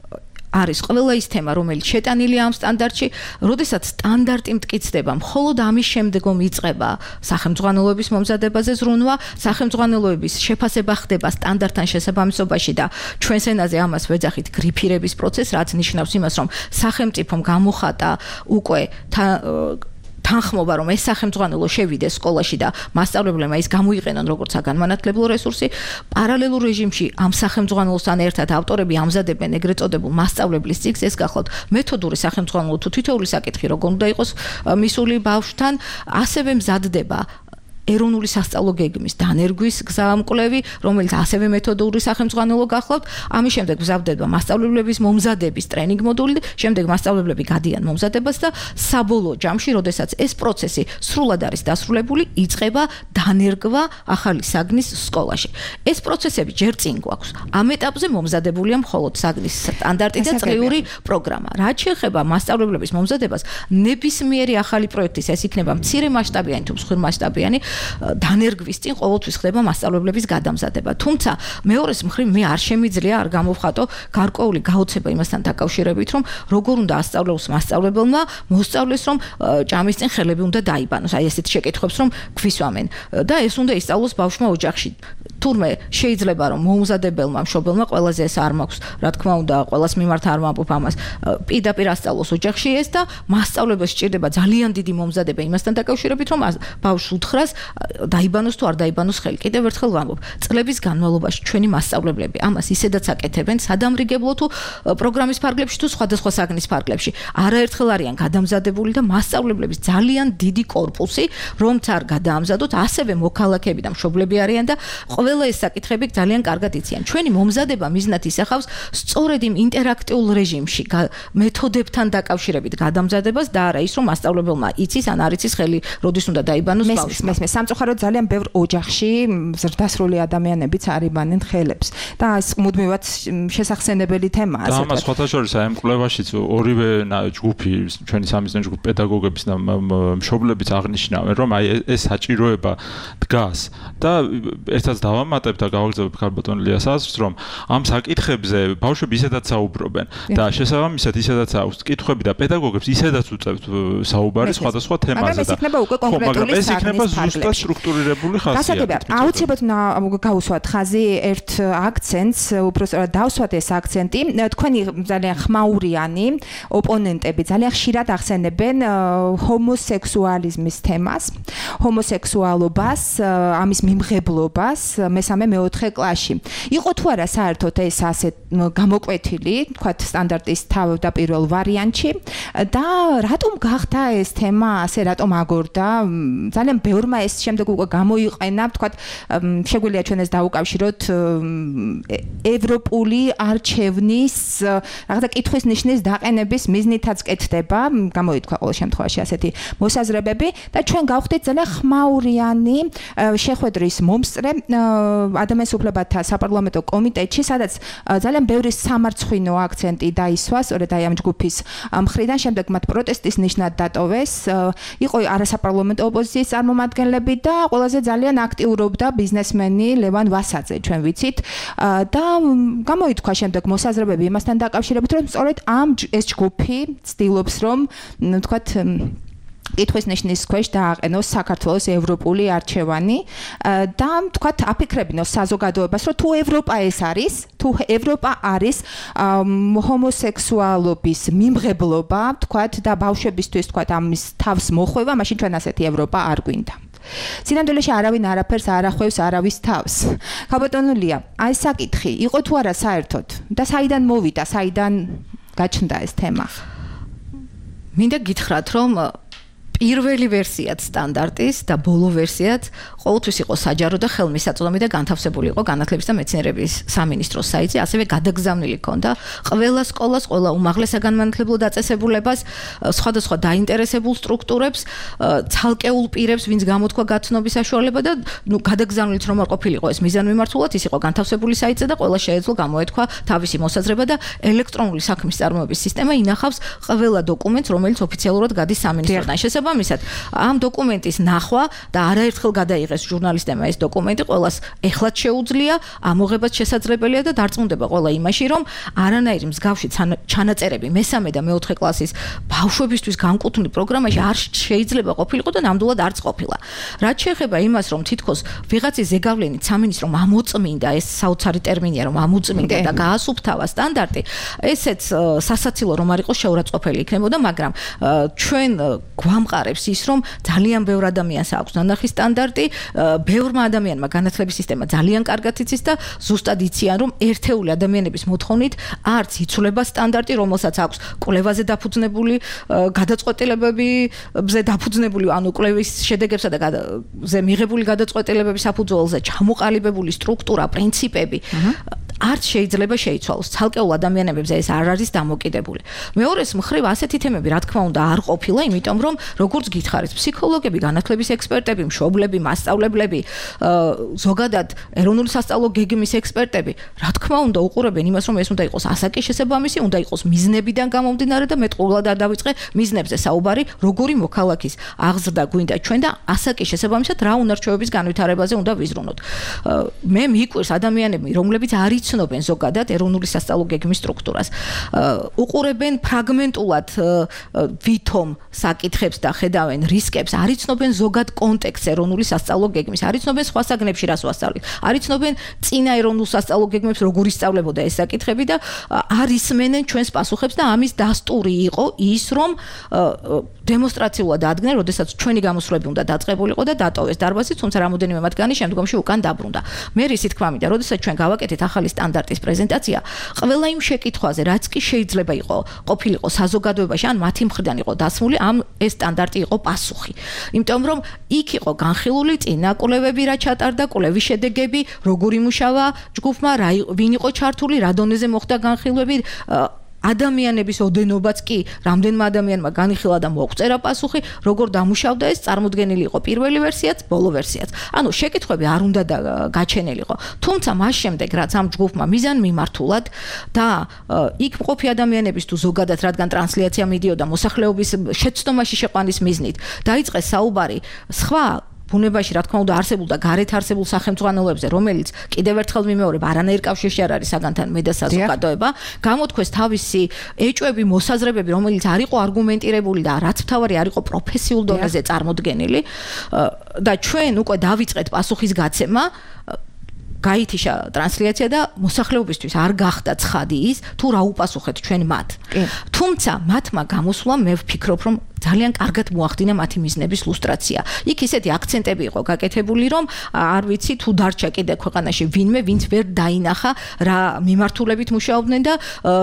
არის ყველა ის თემა, რომელიც შეტანილია ამ სტანდარტში, როდესაც სტანდარტი მტკიცდება, მხოლოდ ამის შემდგომ იწყება სახელმძღვანელოების მომზადებაზე ზრუნვა, სახელმძღვანელოების შეფასება ხდება სტანდარტთან შესაბამისობაში და ჩვენს ენაზე ამას ვეძახით გრიფირების პროცესს, რაც ნიშნავს იმას, რომ სახელმწიფომ გამოხატა უკვე თანხმობა რომ ეს სახელმწიფო შევიდეს სკოლაში და მასწავლებლებმა ის გამოიყენონ როგორც საგანმანათლებლო რესურსი, პარალელურ რეჟიმში ამ სახელმწიფოსთან ერთად ავტორები ამზადებენ ეგრეთ წოდებულ მასწავლებლის ციკლს, ეს გახლავთ მეთოდური სახელმწიფო თუ თითოეული საკითხი როგორ უნდა იყოს მისული ბავშვთან, ასევე მზადდება ეროვნული სასწავლო გეგმის დანერგვის გზამკვლევი, რომელიც ასევე მეთოდური სახელმწიფო გახლავთ. ამის შემდეგ მზადდება მასწავლებლების მომზადების ტრენინგ მოდული, შემდეგ მასწავლებლები გადიან მომზადებას და საბოლოო ჯამში, როდესაც ეს პროცესი სრულად არის დასრულებული, იწყება დანერგვა ახალი საგნის სკოლაში. ეს პროცესები ჯერ წინ გვაქვს. ამ ეტაპზე მომზადებულია მხოლოდ საგნის სტანდარტი და წლიური პროგრამა. რაც შეეხება მასწავლებლების მომზადებას, ნებისმიერი ახალი პროექტის ეს იქნება მცირე მასშტაბიანი თუ მსხვილი მასშტაბიანი დანერგვის წინ ყოველთვის ხდება მასწავლებლების გადამზადება. თუმცა მეორეს მხრივ მე არ შემიძლია არ გამოვხატო გარკვეული გაოცება იმასთან დაკავშირებით, რომ როგორ უნდა ასწავლოს მასწავლებელმა მოსწავლეს, რომ ჭამის წინ ხელები უნდა დაიბანოს. აი ესეთ შეკითხვებს რომ გვისვამენ და ეს უნდა ისწავლოს ბავშვმა ოჯახში. თურმე შეიძლება რომ მომზადებელმა მშობელმა ყველაზე ეს არ მაქვს, რა თქმა უნდა, ყველას მიმართ არ ვამბობ ამას. პირდაპირ ასწავლოს ოჯახში ეს და მასწავლებლებს სჭირდება ძალიან დიდი მომზადება იმასთან დაკავშირებით, რომ ბავშვს უთხრას დაიბანოს თუ არ დაიბანოს ხელი. კიდევ ერთხელ ვამბობ, წლების განმავლობაში ჩვენი მასწავლებლები ამას ისედაც აკეთებენ სადამრიგებლო თუ პროგრამის ფარგლებში თუ სხვადასხვა საგნის ფარგლებში. არაერთხელ არიან გადამზადებული და მასწავლებლების ძალიან დიდი კორპუსი, რომც არ გადაამზადოთ, ასევე მოქალაქეები და მშობლები არიან და ყველა ეს საკითხები ძალიან კარგად იციან. ჩვენი მომზადება მიზნად ისახავს სწორედ იმ ინტერაქტიულ რეჟიმში მეთოდებთან დაკავშირებით გადამზადებას და არა ის რომ მასწავლებელმა იცის ან არ იცის ხელი როდის უნდა დაიბანოს ბავშვმა. სამწუხაროდ ძალიან ბევრ ოჯახში ზრდასრული ადამიანებიც არიბანენ ხელებს და ეს მუდმივად შესახსენებელი თემაა. და ამას სხვათა შორის აი ამ კვლევაშიც ორივე ჯგუფი, ჩვენი სამიზნე ჯგუფი პედაგოგების და მშობლებიც აღნიშნავენ, რომ აი ეს საჭიროება დგას და ერთად დავამატებ და გავაგზავნებ ქალბატონ ლიას აზრს, რომ ამ საკითხებზე ბავშვები ისედაც საუბრობენ და შესაბამისად ისედაც აქვს კითხვები და პედაგოგებს ისედაც უწევთ საუბარი სხვადასხვა თემაზე და კონკრეტული ეს იქნება ზუსტად სტრუქტურირებული ხასიათი. აუცილებლად გავუსვათ ხაზი ერთ აქცენტს, უბრალოდ დავსვათ ეს აქცენტი. თქვენი ძალიან ხმაურიანი ოპონენტები ძალიან ხშირად ახსენებენ ჰომოსექსუალიზმის თემას, ჰომოსექსუალობას, ამის მიმღებლობას მესამე-მეოთხე კლასში. იყო თუ არა საერთოდ ეს ასე გამოკვეთილი, თქვათ სტანდარტის თავდაპირველ ვარიანტში და რატომ გახდა ეს თემა ასე რატომ აგორდა? ძალიან ბევრმა ეს შემდეგ უკვე გამოიყენა, თქვათ, შეგვიძლია ჩვენ ეს დაუკავშიროთ ევროპული არჩევნის რაღაცა კითხვის ნიშნის დაყენების მიზნითაც კეთდება, გამოითქვა ყოველ შემთხვევაში ასეთი მოსაზრებები და ჩვენ გავხდით ძალიან ხმაურიანი შეხვედრის მომსწრე ადამიანის უფლებათა საპარლამენტო კომიტეტში, სადაც ძალიან ბევრი სამარცხვინო აქცენტი დაისვა, სწორედ აი ამ ჯგუფის მხრიდან, შემდეგ მათ პროტესტის ნიშნად დატოვეს. იყო არასაპარლამენტო ოპოზიციის წარმომადგენლები და ყველაზე ძალიან აქტიურობდა ბიზნესმენი ლევან ვასაძე, ჩვენ ვიცით. და გამოითქვა შემდეგ მოსაზრებები იმასთან დაკავშირებით, რომ სწორედ ამ ეს ჯგუფი ცდილობს, რომ თქვათ კითხვის ნიშნის ქვეშ დააყენოს საქართველოს ევროპული არჩევანი და თქვათ აფიქრებინოს საზოგადოებას, რომ თუ ევროპა ეს არის, თუ ევროპა არის ჰომოსექსუალობის მიმღებლობა, თქვათ და ბავშვებისთვის თქვათ ამის თავს მოხვევა, მაშინ ჩვენ ასეთი ევროპა არ გვინდა. სინამდვილეში არავინ არაფერს არ ახვევს არავის თავს. ქალბატონო ლია, აი საკითხი, იყო თუ არა საერთოდ და საიდან მოვიდა, საიდან გაჩნდა ეს თემა? მინდა გითხრათ, რომ პირველი ვერსიაც სტანდარტის და ბოლო ვერსიაც ყოველთვის იყო საჯარო და ხელმისაწვდომი და განთავსებული იყო განათლების და მეცნიერების სამინისტროს საიტზე, ასევე გადაგზავნილი ჰქონდა ყველა სკოლას, ყველა უმაღლეს საგანმანათლებლო დაწესებულებას, სხვადასხვა დაინტერესებულ სტრუქტურებს, ცალკეულ პირებს, ვინც გამოთქვა გაცნობის საშუალება და გადაგზავნილით რომ არ ყოფილიყო ეს მიზანმიმართულად, ის იყო განთავსებული საიტზე და ყველა შეეძლო გამოეთქვა თავისი მოსაზრება და ელექტრონული საქმის წარმოების სისტემა ინახავს ყველა დოკუმენტს, რომელიც ოფიციალურად გადის სამინისტროდან. შესაბამისად, ამ დოკუმენტის ნახვა და არაერთხელ გადაიღეს ჟურნალისტებმა ეს დოკუმენტი, ყველას ეხლაც შეუძლია, ამოღებაც შესაძლებელია და დარწმუნდება ყველა იმაში, რომ არანაირი მსგავსი ჩანაწერები მესამე და მეოთხე კლასის ბავშვებისთვის განკუთვნილ პროგრამაში არ შეიძლება ყოფილიყო და ნამდვილად არც ყოფილა. რაც შეეხება იმას, რომ თითქოს ვიღაცის ზეგავლენით სამინისტრო ამოწმინდა, ეს საოცარი ტერმინია, რომ ამოწმინდა და გაასუფთავა სტანდარტი, ესეც სასაცილო რომ არ იყოს შეურაცხყოფელი იქნებოდა, მაგრამ ჩვენ ამყარებს ის, რომ ძალიან ბევრ ადამიანს აქვს ნანახი სტანდარტი, ბევრმა ადამიანმა განათლების სისტემა ძალიან კარგად იცის და ზუსტად იციან, რომ ერთეული ადამიანების მოთხოვნით არც იცვლება სტანდარტი, რომელსაც აქვს კვლევაზე დაფუძნებული გადაწყვეტილებებზე დაფუძნებული, ანუ კვლევის შედეგებსა და ზე მიღებული გადაწყვეტილებების საფუძველზე ჩამოყალიბებული სტრუქტურა, პრინციპები არც შეიძლება შეიცვალოს. ცალკეულ ადამიანებზე ეს არ არის დამოკიდებული. მეორეს მხრივ ასეთი თემები, რა თქმა უნდა, არ ყოფილა, იმიტომ რომ როგორც გითხარით, ფსიქოლოგები, განათლების ექსპერტები, მშობლები, მასწავლებლები, ზოგადად ეროვნული სასწავლო გეგმის ექსპერტები, რა თქმა უნდა, უყურებენ იმას, რომ ეს უნდა იყოს ასაკი შესაბამისი, უნდა იყოს მიზნებიდან გამომდინარე და მე ყოველად არ დავიწყე მიზნებზე საუბარი, როგორი მოქალაქის აღზრდა გვინდა ჩვენ და ასაკის შესაბამისად რა უნარჩვევების განვითარებაზე უნდა ვიზრუნოთ. მე მიყვარს ადამიანები, რომლებიც არ იცნობენ ზოგადად ეროვნული სასწავლო გეგმის სტრუქტურას. უყურებენ ფრაგმენტულად ვითომ საკითხებს და ხედავენ რისკებს, არ იცნობენ ზოგად კონტექსტს ეროვნული სასწავლო გეგმის, არ იცნობენ სხვა საგნებში რას ვასწავლით, არ იცნობენ წინა ეროვნულ სასწავლო გეგმებს როგორ ისწავლებოდა ეს საკითხები და არ ისმენენ ჩვენს პასუხებს და ამის დასტური იყო ის, რომ დემონსტრაციულად ადგენენ, როდესაც ჩვენი გამოსვლები უნდა დაწყებულიყო და დატოვეს დარბაზი, თუმცა რამოდენიმე მათგანი შემდგომში უკან დაბრუნდა. მე რისით თქვა მინდა, როდესაც ჩვენ გავაკეთეთ ახალი სტანდარტის პრეზენტაცია, ყველა იმ შეკითხვაზე, რაც კი შეიძლება ყოფილიყო საზოგადოებაში, ან მათი მხრიდან იყო დასმული, ამ ეს სტანდარტი იყო პასუხი. იმიტომ რომ იქ იყო განხილული წინა კვლევები, რა ჩატარდა, კვლევის შედეგები, როგორ იმუშავა ჯგუფმა, ვინ იყო ჩართული, რა დონეზე მოხდა განხილვები, ადამიანების ოდენობაც კი რამდენმა ადამიანმა განიხილა და მოგვწერა პასუხი, როგორ დამუშავდა ეს, წარმოდგენილი იყო პირველი ვერსიაც, ბოლო ვერსიაც. ანუ შეკითხვები არ უნდა გაჩენილიყო. თუმცა მას შემდეგ, რაც ამ ჯგუფმა მიზან მიმართულად და იქ მყოფი ადამიანების თუ ზოგადად, რადგან ტრანსლაცია მიდიოდა მოსახლეობის შეცდომაში შეყვანის მიზნით, დაიწყეს საუბარი სხვა ბუნებაში, რა თქმა უნდა, არსებულ და გარეთ არსებულ სახელმწიფოებზე, რომელიც კიდევ ერთხელ მიმეორებ, არანაირ კავშირში არ არის საგანთან მე და საზოგადოება, გამოთქვეს თავისი ეჭვები, მოსაზრებები, რომელიც არ იყო არგუმენტირებული და რაც მთავარი არ იყო პროფესიულ დონეზე წარმოდგენილი და ჩვენ უკვე დავიწყეთ პასუხის გაცემა, გაითიშა ტრანსლაცია და მოსახლეობისთვის არ გახდა ცხადი ის, თუ რა უპასუხეთ ჩვენ მათ. თუმცა მათმა გამოსვლამ მე ვფიქრობ, რომ ძალიან კარგად მოახდინა მათი მიზნების ლუსტრაცია. იქ ისეთი აქცენტები იყო გაკეთებული, რომ არ ვიცი თუ დარჩა კიდე ქვეყანაში ვინმე, ვინც ვერ დაინახა რა მიმართულებით მუშაობდნენ და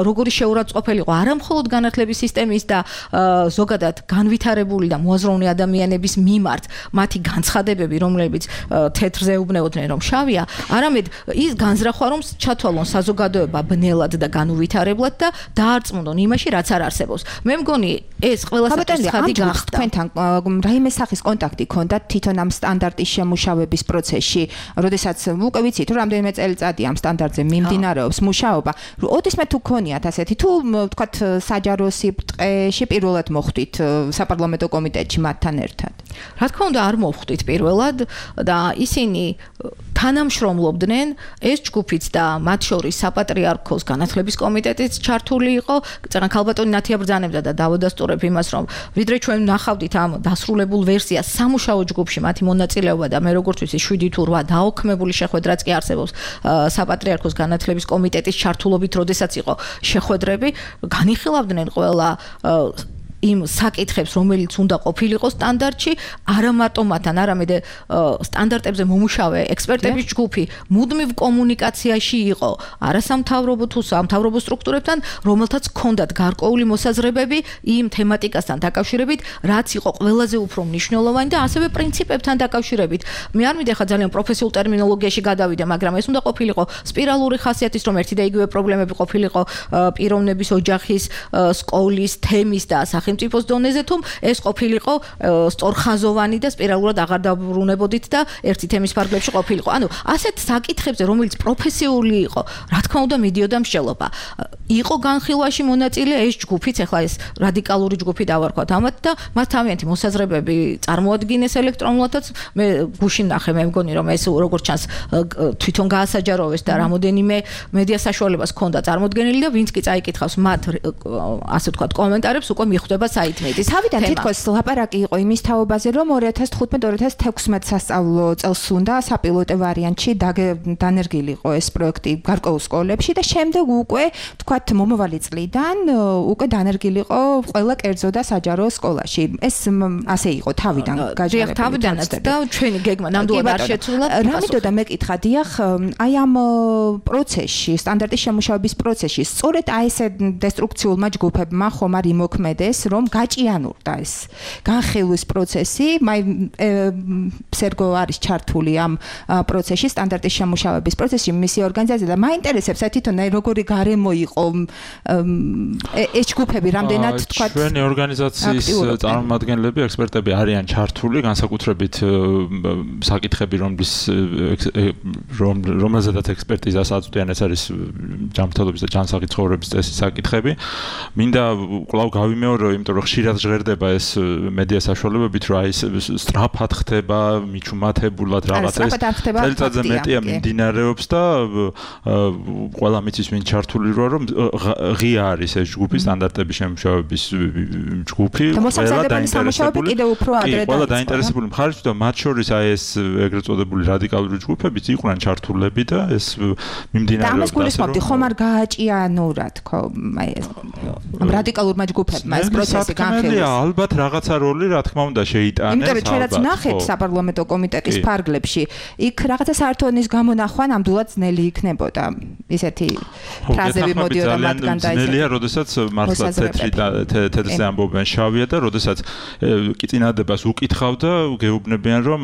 როგორი შეურაცხყოფელი იყო არა მხოლოდ განათლების სისტემის და ზოგადად განვითარებული და მოაზროვნე ადამიანების მიმართ მათი განცხადებები, რომლებიც თეთრზე უბნეოდნენ, რომ შავია, არამედ ის განზრახვა, რომ ჩათვალონ საზოგადოება ბნელად და განუვითარებლად და დაარწმუნონ იმაში, რაც არ არსებობს. მე მგონი ეს ყველასათვის თქვენთან რაიმე სახის კონტაქტი ქონდათ თვითონ ამ სტანდარტის შემუშავების პროცესში, როდესაც უკვე ვიცით, რომ რამდენიმე წელიწადი ამ სტანდარტზე მიმდინარეობს მუშაობა. ოდესმე თუ ქონიათ ასეთი, თუ ვთქვათ საჯარო სიბრტყეში პირველად მოხვდით საპარლამენტო კომიტეტში მათთან ერთად? რა თქმა უნდა, არ მოვხვდით პირველად და ისინი თანამშრომლობდნენ, ეს ჯგუფიც და მათ შორის საპატრიარქოს განათლების კომიტეტიც ჩართული იყო. წეგან ქალბატონი ნათია ბრძანებდა და დავადასტურებ იმას, რომ ვიდრე ჩვენ ნახავდით ამ დასრულებულ ვერსიას სამუშაო ჯგუფში მათი მონაწილეობა და მე როგორც ვიცი 7 თუ 8 დაოქმებული შეხვედრაც კი არსებობს საპატრიარქოს განათლების კომიტეტის ჩართულობით, როდესაც იყო შეხვედრები, განიხილავდნენ ყველა იმ საკითხებს, რომელიც უნდა ყოფილიყო სტანდარტში, არა მარტო მათთან, არამედ სტანდარტებზე მომუშავე ექსპერტების ჯგუფი მუდმივ კომუნიკაციაში იყო არასამთავრობო თუ სამთავრობო სტრუქტურებთან, რომელთაც ჰქონდათ გარკვეული მოსაზრებები იმ თემატიკასთან დაკავშირებით, რაც იყო ყველაზე უფრო მნიშვნელოვანი და ასევე პრინციპებთან დაკავშირებით. მე არ მინდა ხა ძალიან პროფესიულ ტერმინოლოგიაში გადავიდე, მაგრამ ეს უნდა ყოფილიყო სპირალური ხასიათის, რომ ერთი და იგივე პრობლემები ყოფილიყო პიროვნების ოჯახის, სკოლის, თემის და სახელმწიფოს დონეზე, თუ ეს ყოფილიყო სწორხაზოვანი და სპირალურად აღარ დაბრუნებოდით და ერთი თემის ფარგლებში ყოფილიყო. ანუ ასეთ საკითხებზე, რომელიც პროფესიული იყო, რა თქმა უნდა, მიდიოდა მსჯელობა. იყო განხილვაში მონაწილე ეს ჯგუფიც, ახლა ეს რადიკალური ჯგუფი დავარქვათ ამათ და მათ თავიანთი მოსაზრებები წარმოადგინეს ელექტრონულადაც. მე გუშინ ნახე, მე მგონი, რომ ეს როგორც ჩანს თვითონ გაასაჯაროვეს და რამოდენიმე მედია საშუალებას ჰქონდა წარმოდგენილი და ვინც კი წაიკითხავს მათ ასე ვთქვათ კომენტარებს, უკვე მიხვდება საიტმედის. თავიდან თითქოს ლაპარაკი იყო იმის თაობაზე, რომ 2015-2016 სასწავლო წელს უნდა საპილოტო ვარიანტში დანერგილიყო ეს პროექტი გარკვეულ სკოლებში და შემდეგ უკვე თქვათ მომავალი წლიდან უკვე დანერგილიყო ყველა კერძო და საჯარო სკოლაში. ეს ასე იყო თავიდან გაჟღერებული. თავიდანაც და ჩვენი გეგმა ნამდვილად არ შეცვლა. რა მინდოდა მეკითხა, დიახ, აი ამ პროცესში, სტანდარტის შემუშავების პროცესში, სწორედ აი ესე დესტრუქციულმა ჯგუფებმა ხომ არ იმოქმედეს, რომ გაჭიანურდა ეს განხილვის პროცესი. მაი სერგო არის ჩართული ამ პროცესში, სტანდარტის შემუშავების პროცესში, მისი ორგანიზაცია და მაინტერესებს აი თვითონ აი როგორი გარემო იყო ეს ჯგუფები, რამდენად თქვათ ჩვენი ორგანიზაციის წარმომადგენლები, ექსპერტები არიან ჩართული, განსაკუთრებით საკითხები, რომელზედაც ექსპერტიზას აწვდიან, ეს არის ჯანმრთელობის და ჯანსაღი ცხოვრების წესის საკითხები. მინდა კვლავ გავიმეორო, იმიტომ რომ ხშირად ჟღერდება ეს მედია საშუალებებით, რომ აი სწრაფად ხდება, მიჩუმათებულად რაღაც ეს წელიწადზე მეტია მიმდინარეობს და ყველა მიცის ვინ ჩართული როა, რომ ღია არის ეს ჯგუფი, სტანდარტების შემუშავების ჯგუფი, ყველა დაინტერესებული მხარეში და მათ შორის აი ეს ეგრეთ წოდებული რადიკალური ჯგუფებიც იყვნენ ჩართულები და ეს მიმდინარეობს. და ამას გულისხმობდი, ხომ არ გააჭიანურა თქო, აი ეს ამ რადიკალურმა ჯგუფებმა ეს პროცესი განხილვის. ალბათ რაღაცა როლი რა თქმა უნდა შეიტანეს. იმიტომ რომ ჩვენაც ნახეთ საპარლამენტო კომიტეტის ფარგლებში, იქ რაღაცა საერთონის გამონახვა ნამდვილად ძნელი იქნებოდა. ისეთი ფრაზები მოდიოდა მათგან და ისეთი. ძნელია, როდესაც მართლა თეთრზე ამბობენ შავია და როდესაც კიწინადებას უკითხავ და გეუბნებიან რომ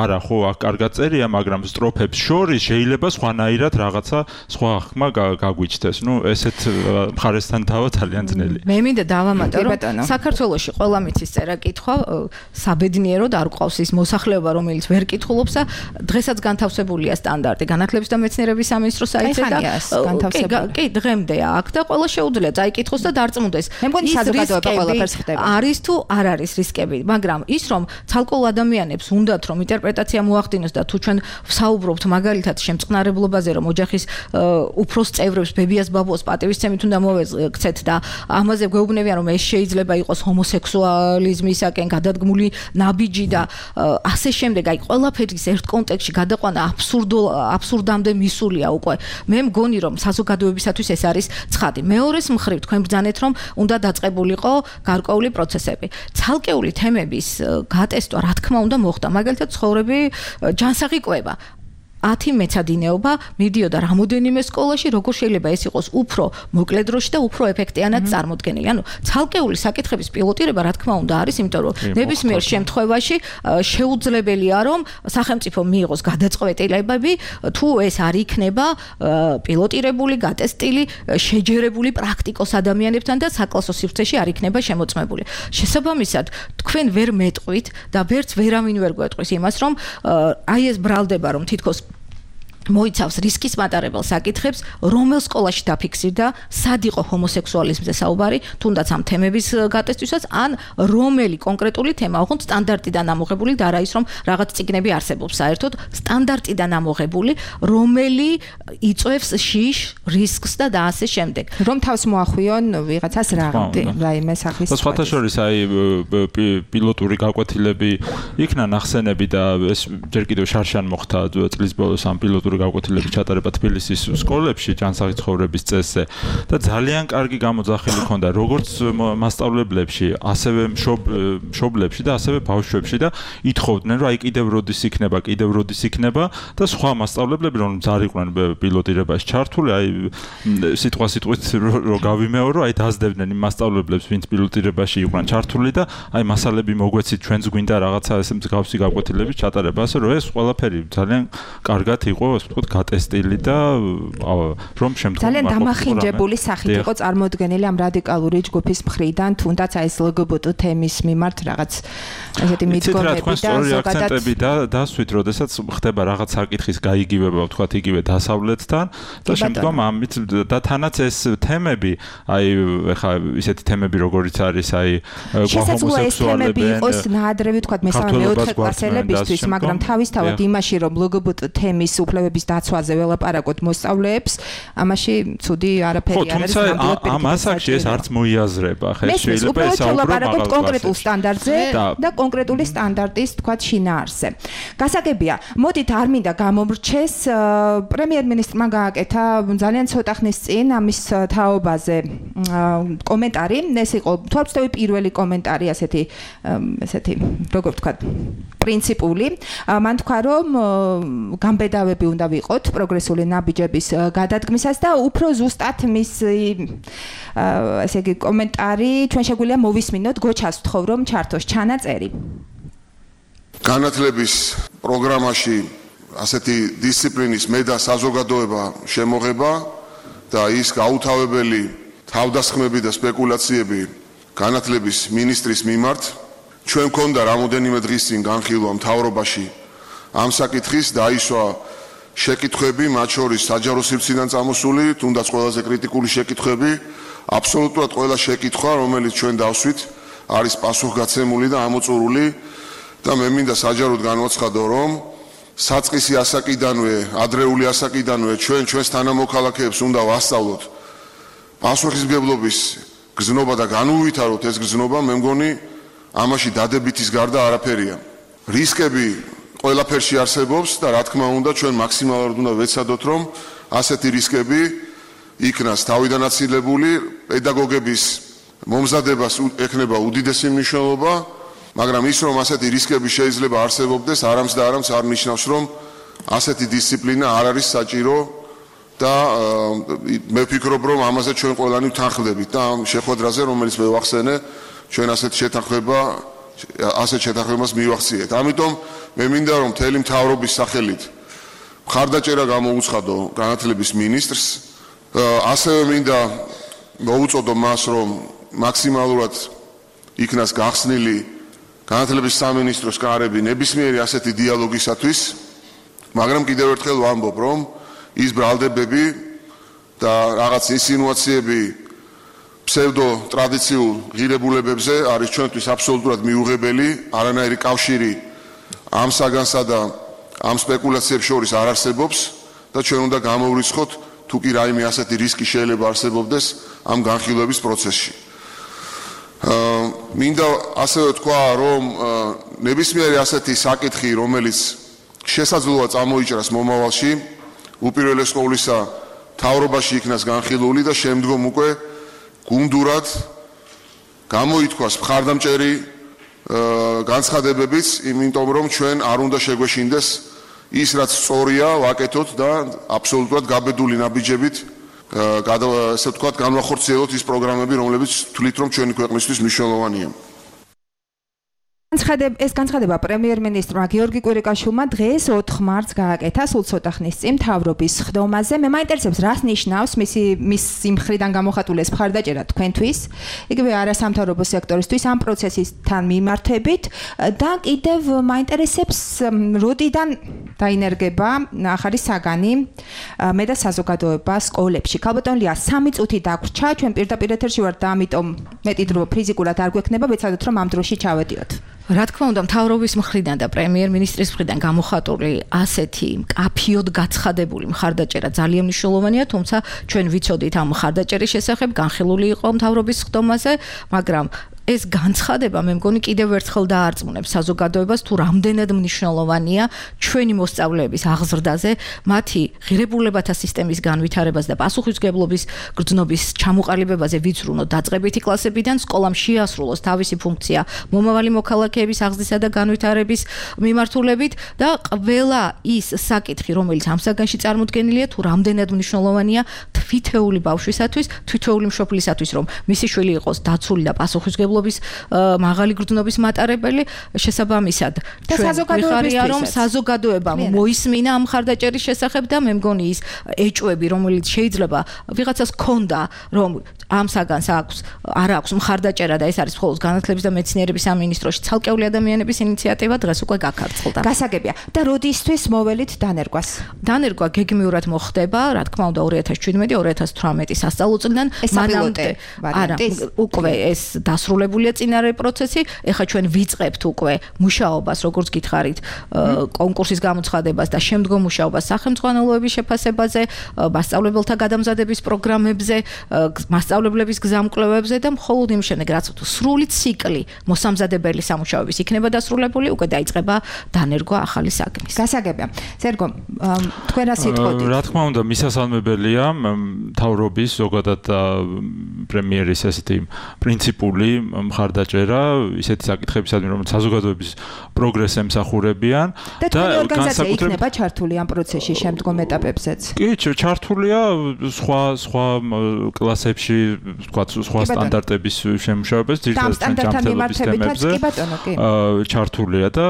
არა ხო აქ კარგად წერია, მაგრამ სტროფებს შორის შეიძლება სხვანაირად რაღაცა სხვა ხმა გაგვიჩნდეს. ნუ ესეთ მხარესთან დავა ძალიან ძნელი. მე მინდა დავამატო რომ საქართველოში ყველა მიცის წერა კითხვა საბედნიეროდ არ გვყავს ის მოსახლეობა, რომელიც ვერ კითხულობს და დღესაც განთავსებულია სტანდარტი განათლების და მეცნიერების სამინისტროს საიტზე და კი დღემდეა აქ და ყველა შეუძლია წაიკითხოს და დარწმუნდეს. მე მგონი საზოგადოება ყველაფერს ხდება. არის თუ არ არის რისკები, მაგრამ ის რომ ცალკეულ ადამიანებს უნდათ რომ ინტერპრეტაცია მოახდინოს და თუ ჩვენ ვსაუბრობთ მაგალითად შემწყნარებლობაზე, რომ ოჯახის უფროს წევრებს ბებიას ბაბუას პატივისცემით უნდა მოვექცეთ და ამაზე გვეუბნებიან რომ ეს შეიძლება იყოს ჰომოსექსუალიზმისაკენ გადადგმული ნაბიჯი და ასე შემდეგ, აი ყველაფერის ერთ კონტექსტში გადაყვანა აბსურდამდე მისულია უკვე. მე მგონი რომ საზოგადოებისათვის ეს არის ცხადი. მეორეს მხრივ თქვენ ბრძანეთ რომ უნდა დაწყებულიყო გარკვეული პროცესები. ცალკეული თემების გატესტვა რა თქმა უნდა მოხდა, მაგალითად ცხოვრები ჯანსაღი კვება. 10 მეცადინეობა მიდიოდა რამოდენიმე სკოლაში, როგორ შეიძლება ეს იყოს უფრო მოკლე დროში და უფრო ეფექტიანად წარმოდგენილი. ანუ ცალკეული საკითხების პილოტირება რა თქმა უნდა არის, იმიტომ რომ ნებისმიერ შემთხვევაში შეუძლებელია რომ სახელმწიფო მიიღოს გადაწყვეტილებები, თუ ეს არ იქნება პილოტირებული, გატესტილი, შეჯერებული პრაქტიკოს ადამიანებთან და საკლასო სივრცეში არ იქნება შემოწმებული. შესაბამისად, თქვენ ვერ მეტყვით და ვერც ვერავინ ვერ გვეტყვის იმას, რომ აი ეს ბრალდება რომ თითქოს მოიცავს რისკის მატარებელ საკითხებს, რომელ სკოლაში დაფიქსირდა, სად იყო ჰომოსექსუალიზმზე საუბარი, თუნდაც ამ თემების გატესტვისაც, ან რომელი კონკრეტული თემა, ოღონდ სტანდარტიდან ამოღებული და არა ის რომ რაღაც წიგნები არსებობს საერთოდ, სტანდარტიდან ამოღებული, რომელი იწვევს შიშ, რისკს და ასე შემდეგ. რომ თავს მოახვიონ ვიღაცას რაიმე სახის. სხვათა შორის აი პილოტური გაკვეთილები იქნა ნახსენები და ეს ჯერ კიდევ შარშან მოხდა წლის ბოლოს ამ პილოტური გაკვეთილების ჩატარება თბილისის სკოლებში ჯანსაღი ცხოვრების წესზე და ძალიან კარგი გამოძახილი ჰქონდა როგორც მასწავლებლებში, ასევე მშობლებში და ასევე ბავშვებში და ითხოვდნენ რომ აი კიდევ როდის იქნება და სხვა მასწავლებლები რომ ძარიყვნენ პილოტირებაში ჩართული, აი სიტყვით რომ გავიმეორო, აი დაძდებდნენ იმ მასწავლებლებს, ვინც პილოტირებაში იყვნენ ჩართული და აი მასალები მოგვეცით, ჩვენც გვინდა რაღაცა ესე მსგავსი გაკვეთილების ჩატარება, ასე რომ ეს ყველაფერი ძალიან კარგად იყო ვთქვათ გატესტილი და რომ შემდგომ ძალიან დამახინჯებული სახით იყო წარმოდგენილი ამ რადიკალური ჯგუფის მხრიდან, თუნდაც აი ეს LGBT თემის მიმართ რაღაც ესეთი მიდგომები და ზოგადად დასვით, როდესაც ხდება რაღაც საკითხის გაიგივება, ვთქვათ იგივე დასავლეთთან და შემდგომ ამით და თანაც ეს თემები, აი ეხა ისეთი თემები როგორიც არის აი ჰომოსექსუალები იყოს ნაადრევი ვთქვათ მესამე მეოთხე კლასელებისთვის, მაგრამ თავისთავად იმაში რომ LGBT თემის უფლებების განმარტოების დაცვაზე ველაპარაკოთ მოსწავლეებს, ამაში ცუდი არაფერი არ არის. თუმცა ამ ასაკში ეს არც მოიაზრება, ხა შეიძლება ესაუბროთ კონკრეტულ სტანდარტზე და კონკრეტული სტანდარტის თქვათ შინაარსზე. გასაგებია, მოდით არ მინდა გამომრჩეს, პრემიერ-მინისტრმა გააკეთა ძალიან ცოტა ხნის წინ ამის თაობაზე კომენტარი, ეს იყო თვალწვდები პირველი კომენტარი, ასეთი როგორ ვთქვათ, პრინციპული. მან თქვა, რომ გამბედავები უნდა ვიყოთ პროგრესული ნაბიჯების გადადგმისას და უფრო ზუსტად მის ესე იგი კომენტარი ჩვენ შეგვიძლია მოვისმინოთ, გოჩას ვთხოვ რომ ჩართოს ჩანაწერი. განათლების პროგრამაში ასეთი დისციპლინის მე და საზოგადოება შემოღება და ის გაუთავებელი თავდასხმები და სპეკულაციები განათლების მინისტრის მიმართ ჩვენ მქონდა რამოდენიმე დღის წინ განხილვა მთავრობაში ამ საკითხის დაისვა შეკითხვები, მათ შორის საჯარო სივრციდან წამოსული, თუნდაც ყველაზე კრიტიკული შეკითხვები, აბსოლუტურად ყველა შეკითხვა, რომელიც ჩვენ დავსვით, არის პასუხგაცემული და ამოწურული და მე მინდა საჯაროდ განვაცხადო, რომ საწყისი ასაკიდანვე, ადრეული ასაკიდანვე ჩვენს თანამოქალაქეებს უნდა ვასწავლოთ პასუხისმგებლობის გზნობა და განუვითაროთ ეს გზნობა, მე მგონი ამაში დადებითის გარდა არაფერია. რისკები ყველაფერში არსებობს და რა თქმა უნდა ჩვენ მაქსიმალურად უნდა ვეცადოთ, რომ ასეთი რისკები იქნას თავიდან აცილებული, პედაგოგების მომზადებას ექნება უდიდესი მნიშვნელობა, მაგრამ ის რომ ასეთი რისკები შეიძლება არსებობდეს, არამც და არამც არ ნიშნავს, რომ ასეთი დისციპლინა არ არის საჭირო და მე ვფიქრობ, რომ ამაზე ჩვენ ყველანი ვთანხმდებით და ამ შეხვედრაზე, რომელიც მე ვახსენე, ჩვენ ასეთ შეთანხმებას მივახციეთ. ამიტომ მე მინდა რომ მთელი მთავრობის სახელით მხარდაჭერა გამოუცხადო განათლების მინისტრს, ასევე მინდა მოუწოდო მას, რომ მაქსიმალურად იქნას გახსნილი განათლების სამინისტროს კარები ნებისმიერი ასეთი დიალოგისათვის, მაგრამ კიდევ ერთხელ ვამბობ, რომ ის ბრალდებები და რაღაც ინსინუაციები ფსევდო ტრადიციულ ღირებულებებზე არის ჩვენთვის აბსოლუტურად მიუღებელი, არანაირი კავშირი ამ საგანსა და ამ სპეკულაციებს შორის არ არსებობს და ჩვენ უნდა გამოვრიცხოთ თუ კი რაიმე ასეთი რისკი შეიძლება არსებობდეს ამ განხილვების პროცესში. მინდა ასევე თქვა, რომ ნებისმიერი ასეთი საკითხი, რომელიც შესაძლოა წამოიჭრას მომავალში, უპირველეს ყოვლისა მთავრობაში იქნას განხილული და შემდგომ უკვე გუნდურად გამოითქვას მხარდამჭერი განცხადებებიც, იმიტომ რომ ჩვენ არ უნდა შეგვეშინდეს ის, რაც სწორია, ვაკეთოთ და აბსოლუტურად გაბედული ნაბიჯებით ესე ვთქვათ, განვახორციელოთ ის პროგრამები, რომლებიც თვლით, რომ ჩვენი ქვეყნისთვის მნიშვნელოვანია. ეს განცხადება პრემიერ-მინისტრმა გიორგი კვირიკაშვილმა დღეს 4 მარტს გააკეთა სულ ცოტა ხნის წინ მთავრობის ხდომაზე. მე მაინტერესებს, რას ნიშნავს მის სიმხრიდან გამოხატული ეს მხარდაჭერა თქვენთვის, იგივე არასამთავრობო სექტორისთვის ამ პროცესისთან მიმართებით და კიდევ მაინტერესებს, როდიდან დაინერგება ახალი საგანი მე და საზოგადოება სკოლებში. ქალბატონ ლია, 3 წუთი დაგვრჩა, ჩვენ პირდაპირ ეთერში ვართ და ამიტომ მეტი დრო ფიზიკურად არ გვექნება, ვეცადოთ რომ ამ დროში ჩავედიოთ. რა თქმა უნდა, მთავრობის მხრიდან და პრემიერ-მინისტრის მხრიდან გამოხატული ასეთი მკაფიოდ გაცხადებული მხარდაჭერა ძალიან მნიშვნელოვანია, თუმცა ჩვენ ვიცოდით ამ მხარდაჭერის შესახებ, განხილული იყო მთავრობის ხდომაზე, მაგრამ ეს განცხადება მე მგონი კიდევ ერთხელ დაარწმუნებს საზოგადოებას თუ რამდენად მნიშვნელოვანია ჩვენი მოსწავლეების აღზრდაზე, მათი ღირებულებათა სისტემის განვითარებას და პასუხისმგებლობის გრძნობის ჩამოყალიბებაზე ვიცრუნოთ დაწყებითი კლასებიდან, სკოლამ შეასრულოს თავისი ფუნქცია მომავალი მოქალაქეების აღზრდისა და განვითარების მიმართულებით და ყველა ის საკითხი, რომელიც ამ საგანში წარმოდგენილია, თუ რამდენად მნიშვნელოვანია თვითეული ბავშვისათვის, თვითეული მშობლისათვის, რომ მისი შვილი იყოს დაცული და პასუხისმგებლობის მაღალი გრძნობის მატარებელი, შესაბამისად ჩვენ ვიხარია, რომ საზოგადოებამ მოისმინა ამ მხარდაჭერის შესახებ და მე მგონი ის ეჭვები, რომელიც შეიძლება ვიღაცას ქონდა, რომ ამ საგანს არ აქვს მხარდაჭერა და ეს არის მხოლოდ განათლების და მეცნიერების სამინისტროში ცალკეული ადამიანების ინიციატივა, დღეს უკვე გაქარწყლდა. გასაგებია და როდისთვის მოველით დანერგვას? დანერგვა გეგმიურად მოხდება, რა თქმა უნდა 2017-2018 სასწავლო წლიდან მანამდე. არა, უკვე ეს დასრულებული დასრულებულია წინარე პროცესი, ეხლა ჩვენ ვიწყებთ უკვე მუშაობას, როგორც გითხარით, კონკურსის გამოცხადებას და შემდგომ მუშაობას სახელმწიფოების შეფასებაზე, მასწავლებელთა გადამზადების პროგრამებზე, მასწავლებლების გზამკვლევებზე და მხოლოდ იმ შემდეგ, რაც სრული ციკლი მოსამზადებელი სამუშაოების იქნება დასრულებული, უკვე დაიწყება დანერგვა ახალი საგნის. გასაგებია. სერგო, თქვენ რა სიტყვით? რა თქმა უნდა, მისასალმებელია მთავრობის ზოგადად პრემიერის ესეთი პრინციპული მხარდაჭერა ისეთი საკითხებისადმი, რომელიც საზოგადოების პროგრესს ემსახურებიან და ორგანიზაცია იქნება ჩართული ამ პროცესში შემდგომ ეტაპებზეც. კი, ჩართულია სხვა კლასებში, თქვა სხვა სტანდარტების შემუშავებას, ძირითადად ჯანმრთელობის თემებზე. ჩართულია და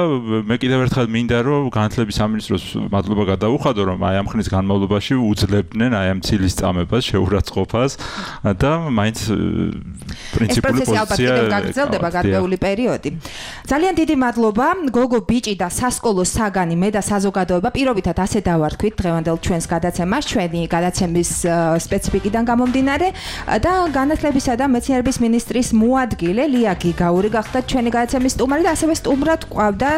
მე კიდევ ერთხელ მინდა რომ განათლების სამინისტროს მადლობა გადაუხადო რომ აი ამ ხნის განმავლობაში უძლებდნენ აი ამ ცილის წამებას, შეურაცხყოფას და მაინც პრინციპული პოზიცია გაგრძელდება გარკვეული პერიოდი. ძალიან დიდი მადლობა გოგო ბიჭი და სასკოლო საგანი მე და საზოგადოება პირობითად ასე დავარქვით დღევანდელ ჩვენს გადაცემას, ჩვენი გადაცემის სპეციფიკიდან გამომდინარე და განათლებისა და მეცნიერების მინისტრის მოადგილე ლია გიგაური გახდა ჩვენი გადაცემის სტუმარი და ასევე სტუმრად ყვავდა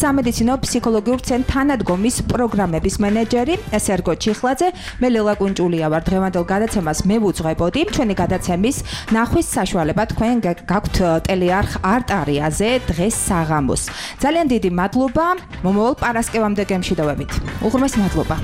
სამედიცინო ფსიქოლოგიურ ცენტრ თანადგომის პროგრამების მენეჯერი სერგო ჩიხლაძე. მე ლელა კუნჭულია ვარ. დღევანდელ გადაცემას მე ვუძღვებოდი. ჩვენი გადაცემის ნახვის საშუალება თქვენ გაქვთ ტელეარხ არტარიაზე დღეს საღამოს. ძალიან დიდი მადლობა. მომავალ პარასკევამდე გემშვიდობებით. უღრმეს მადლობა.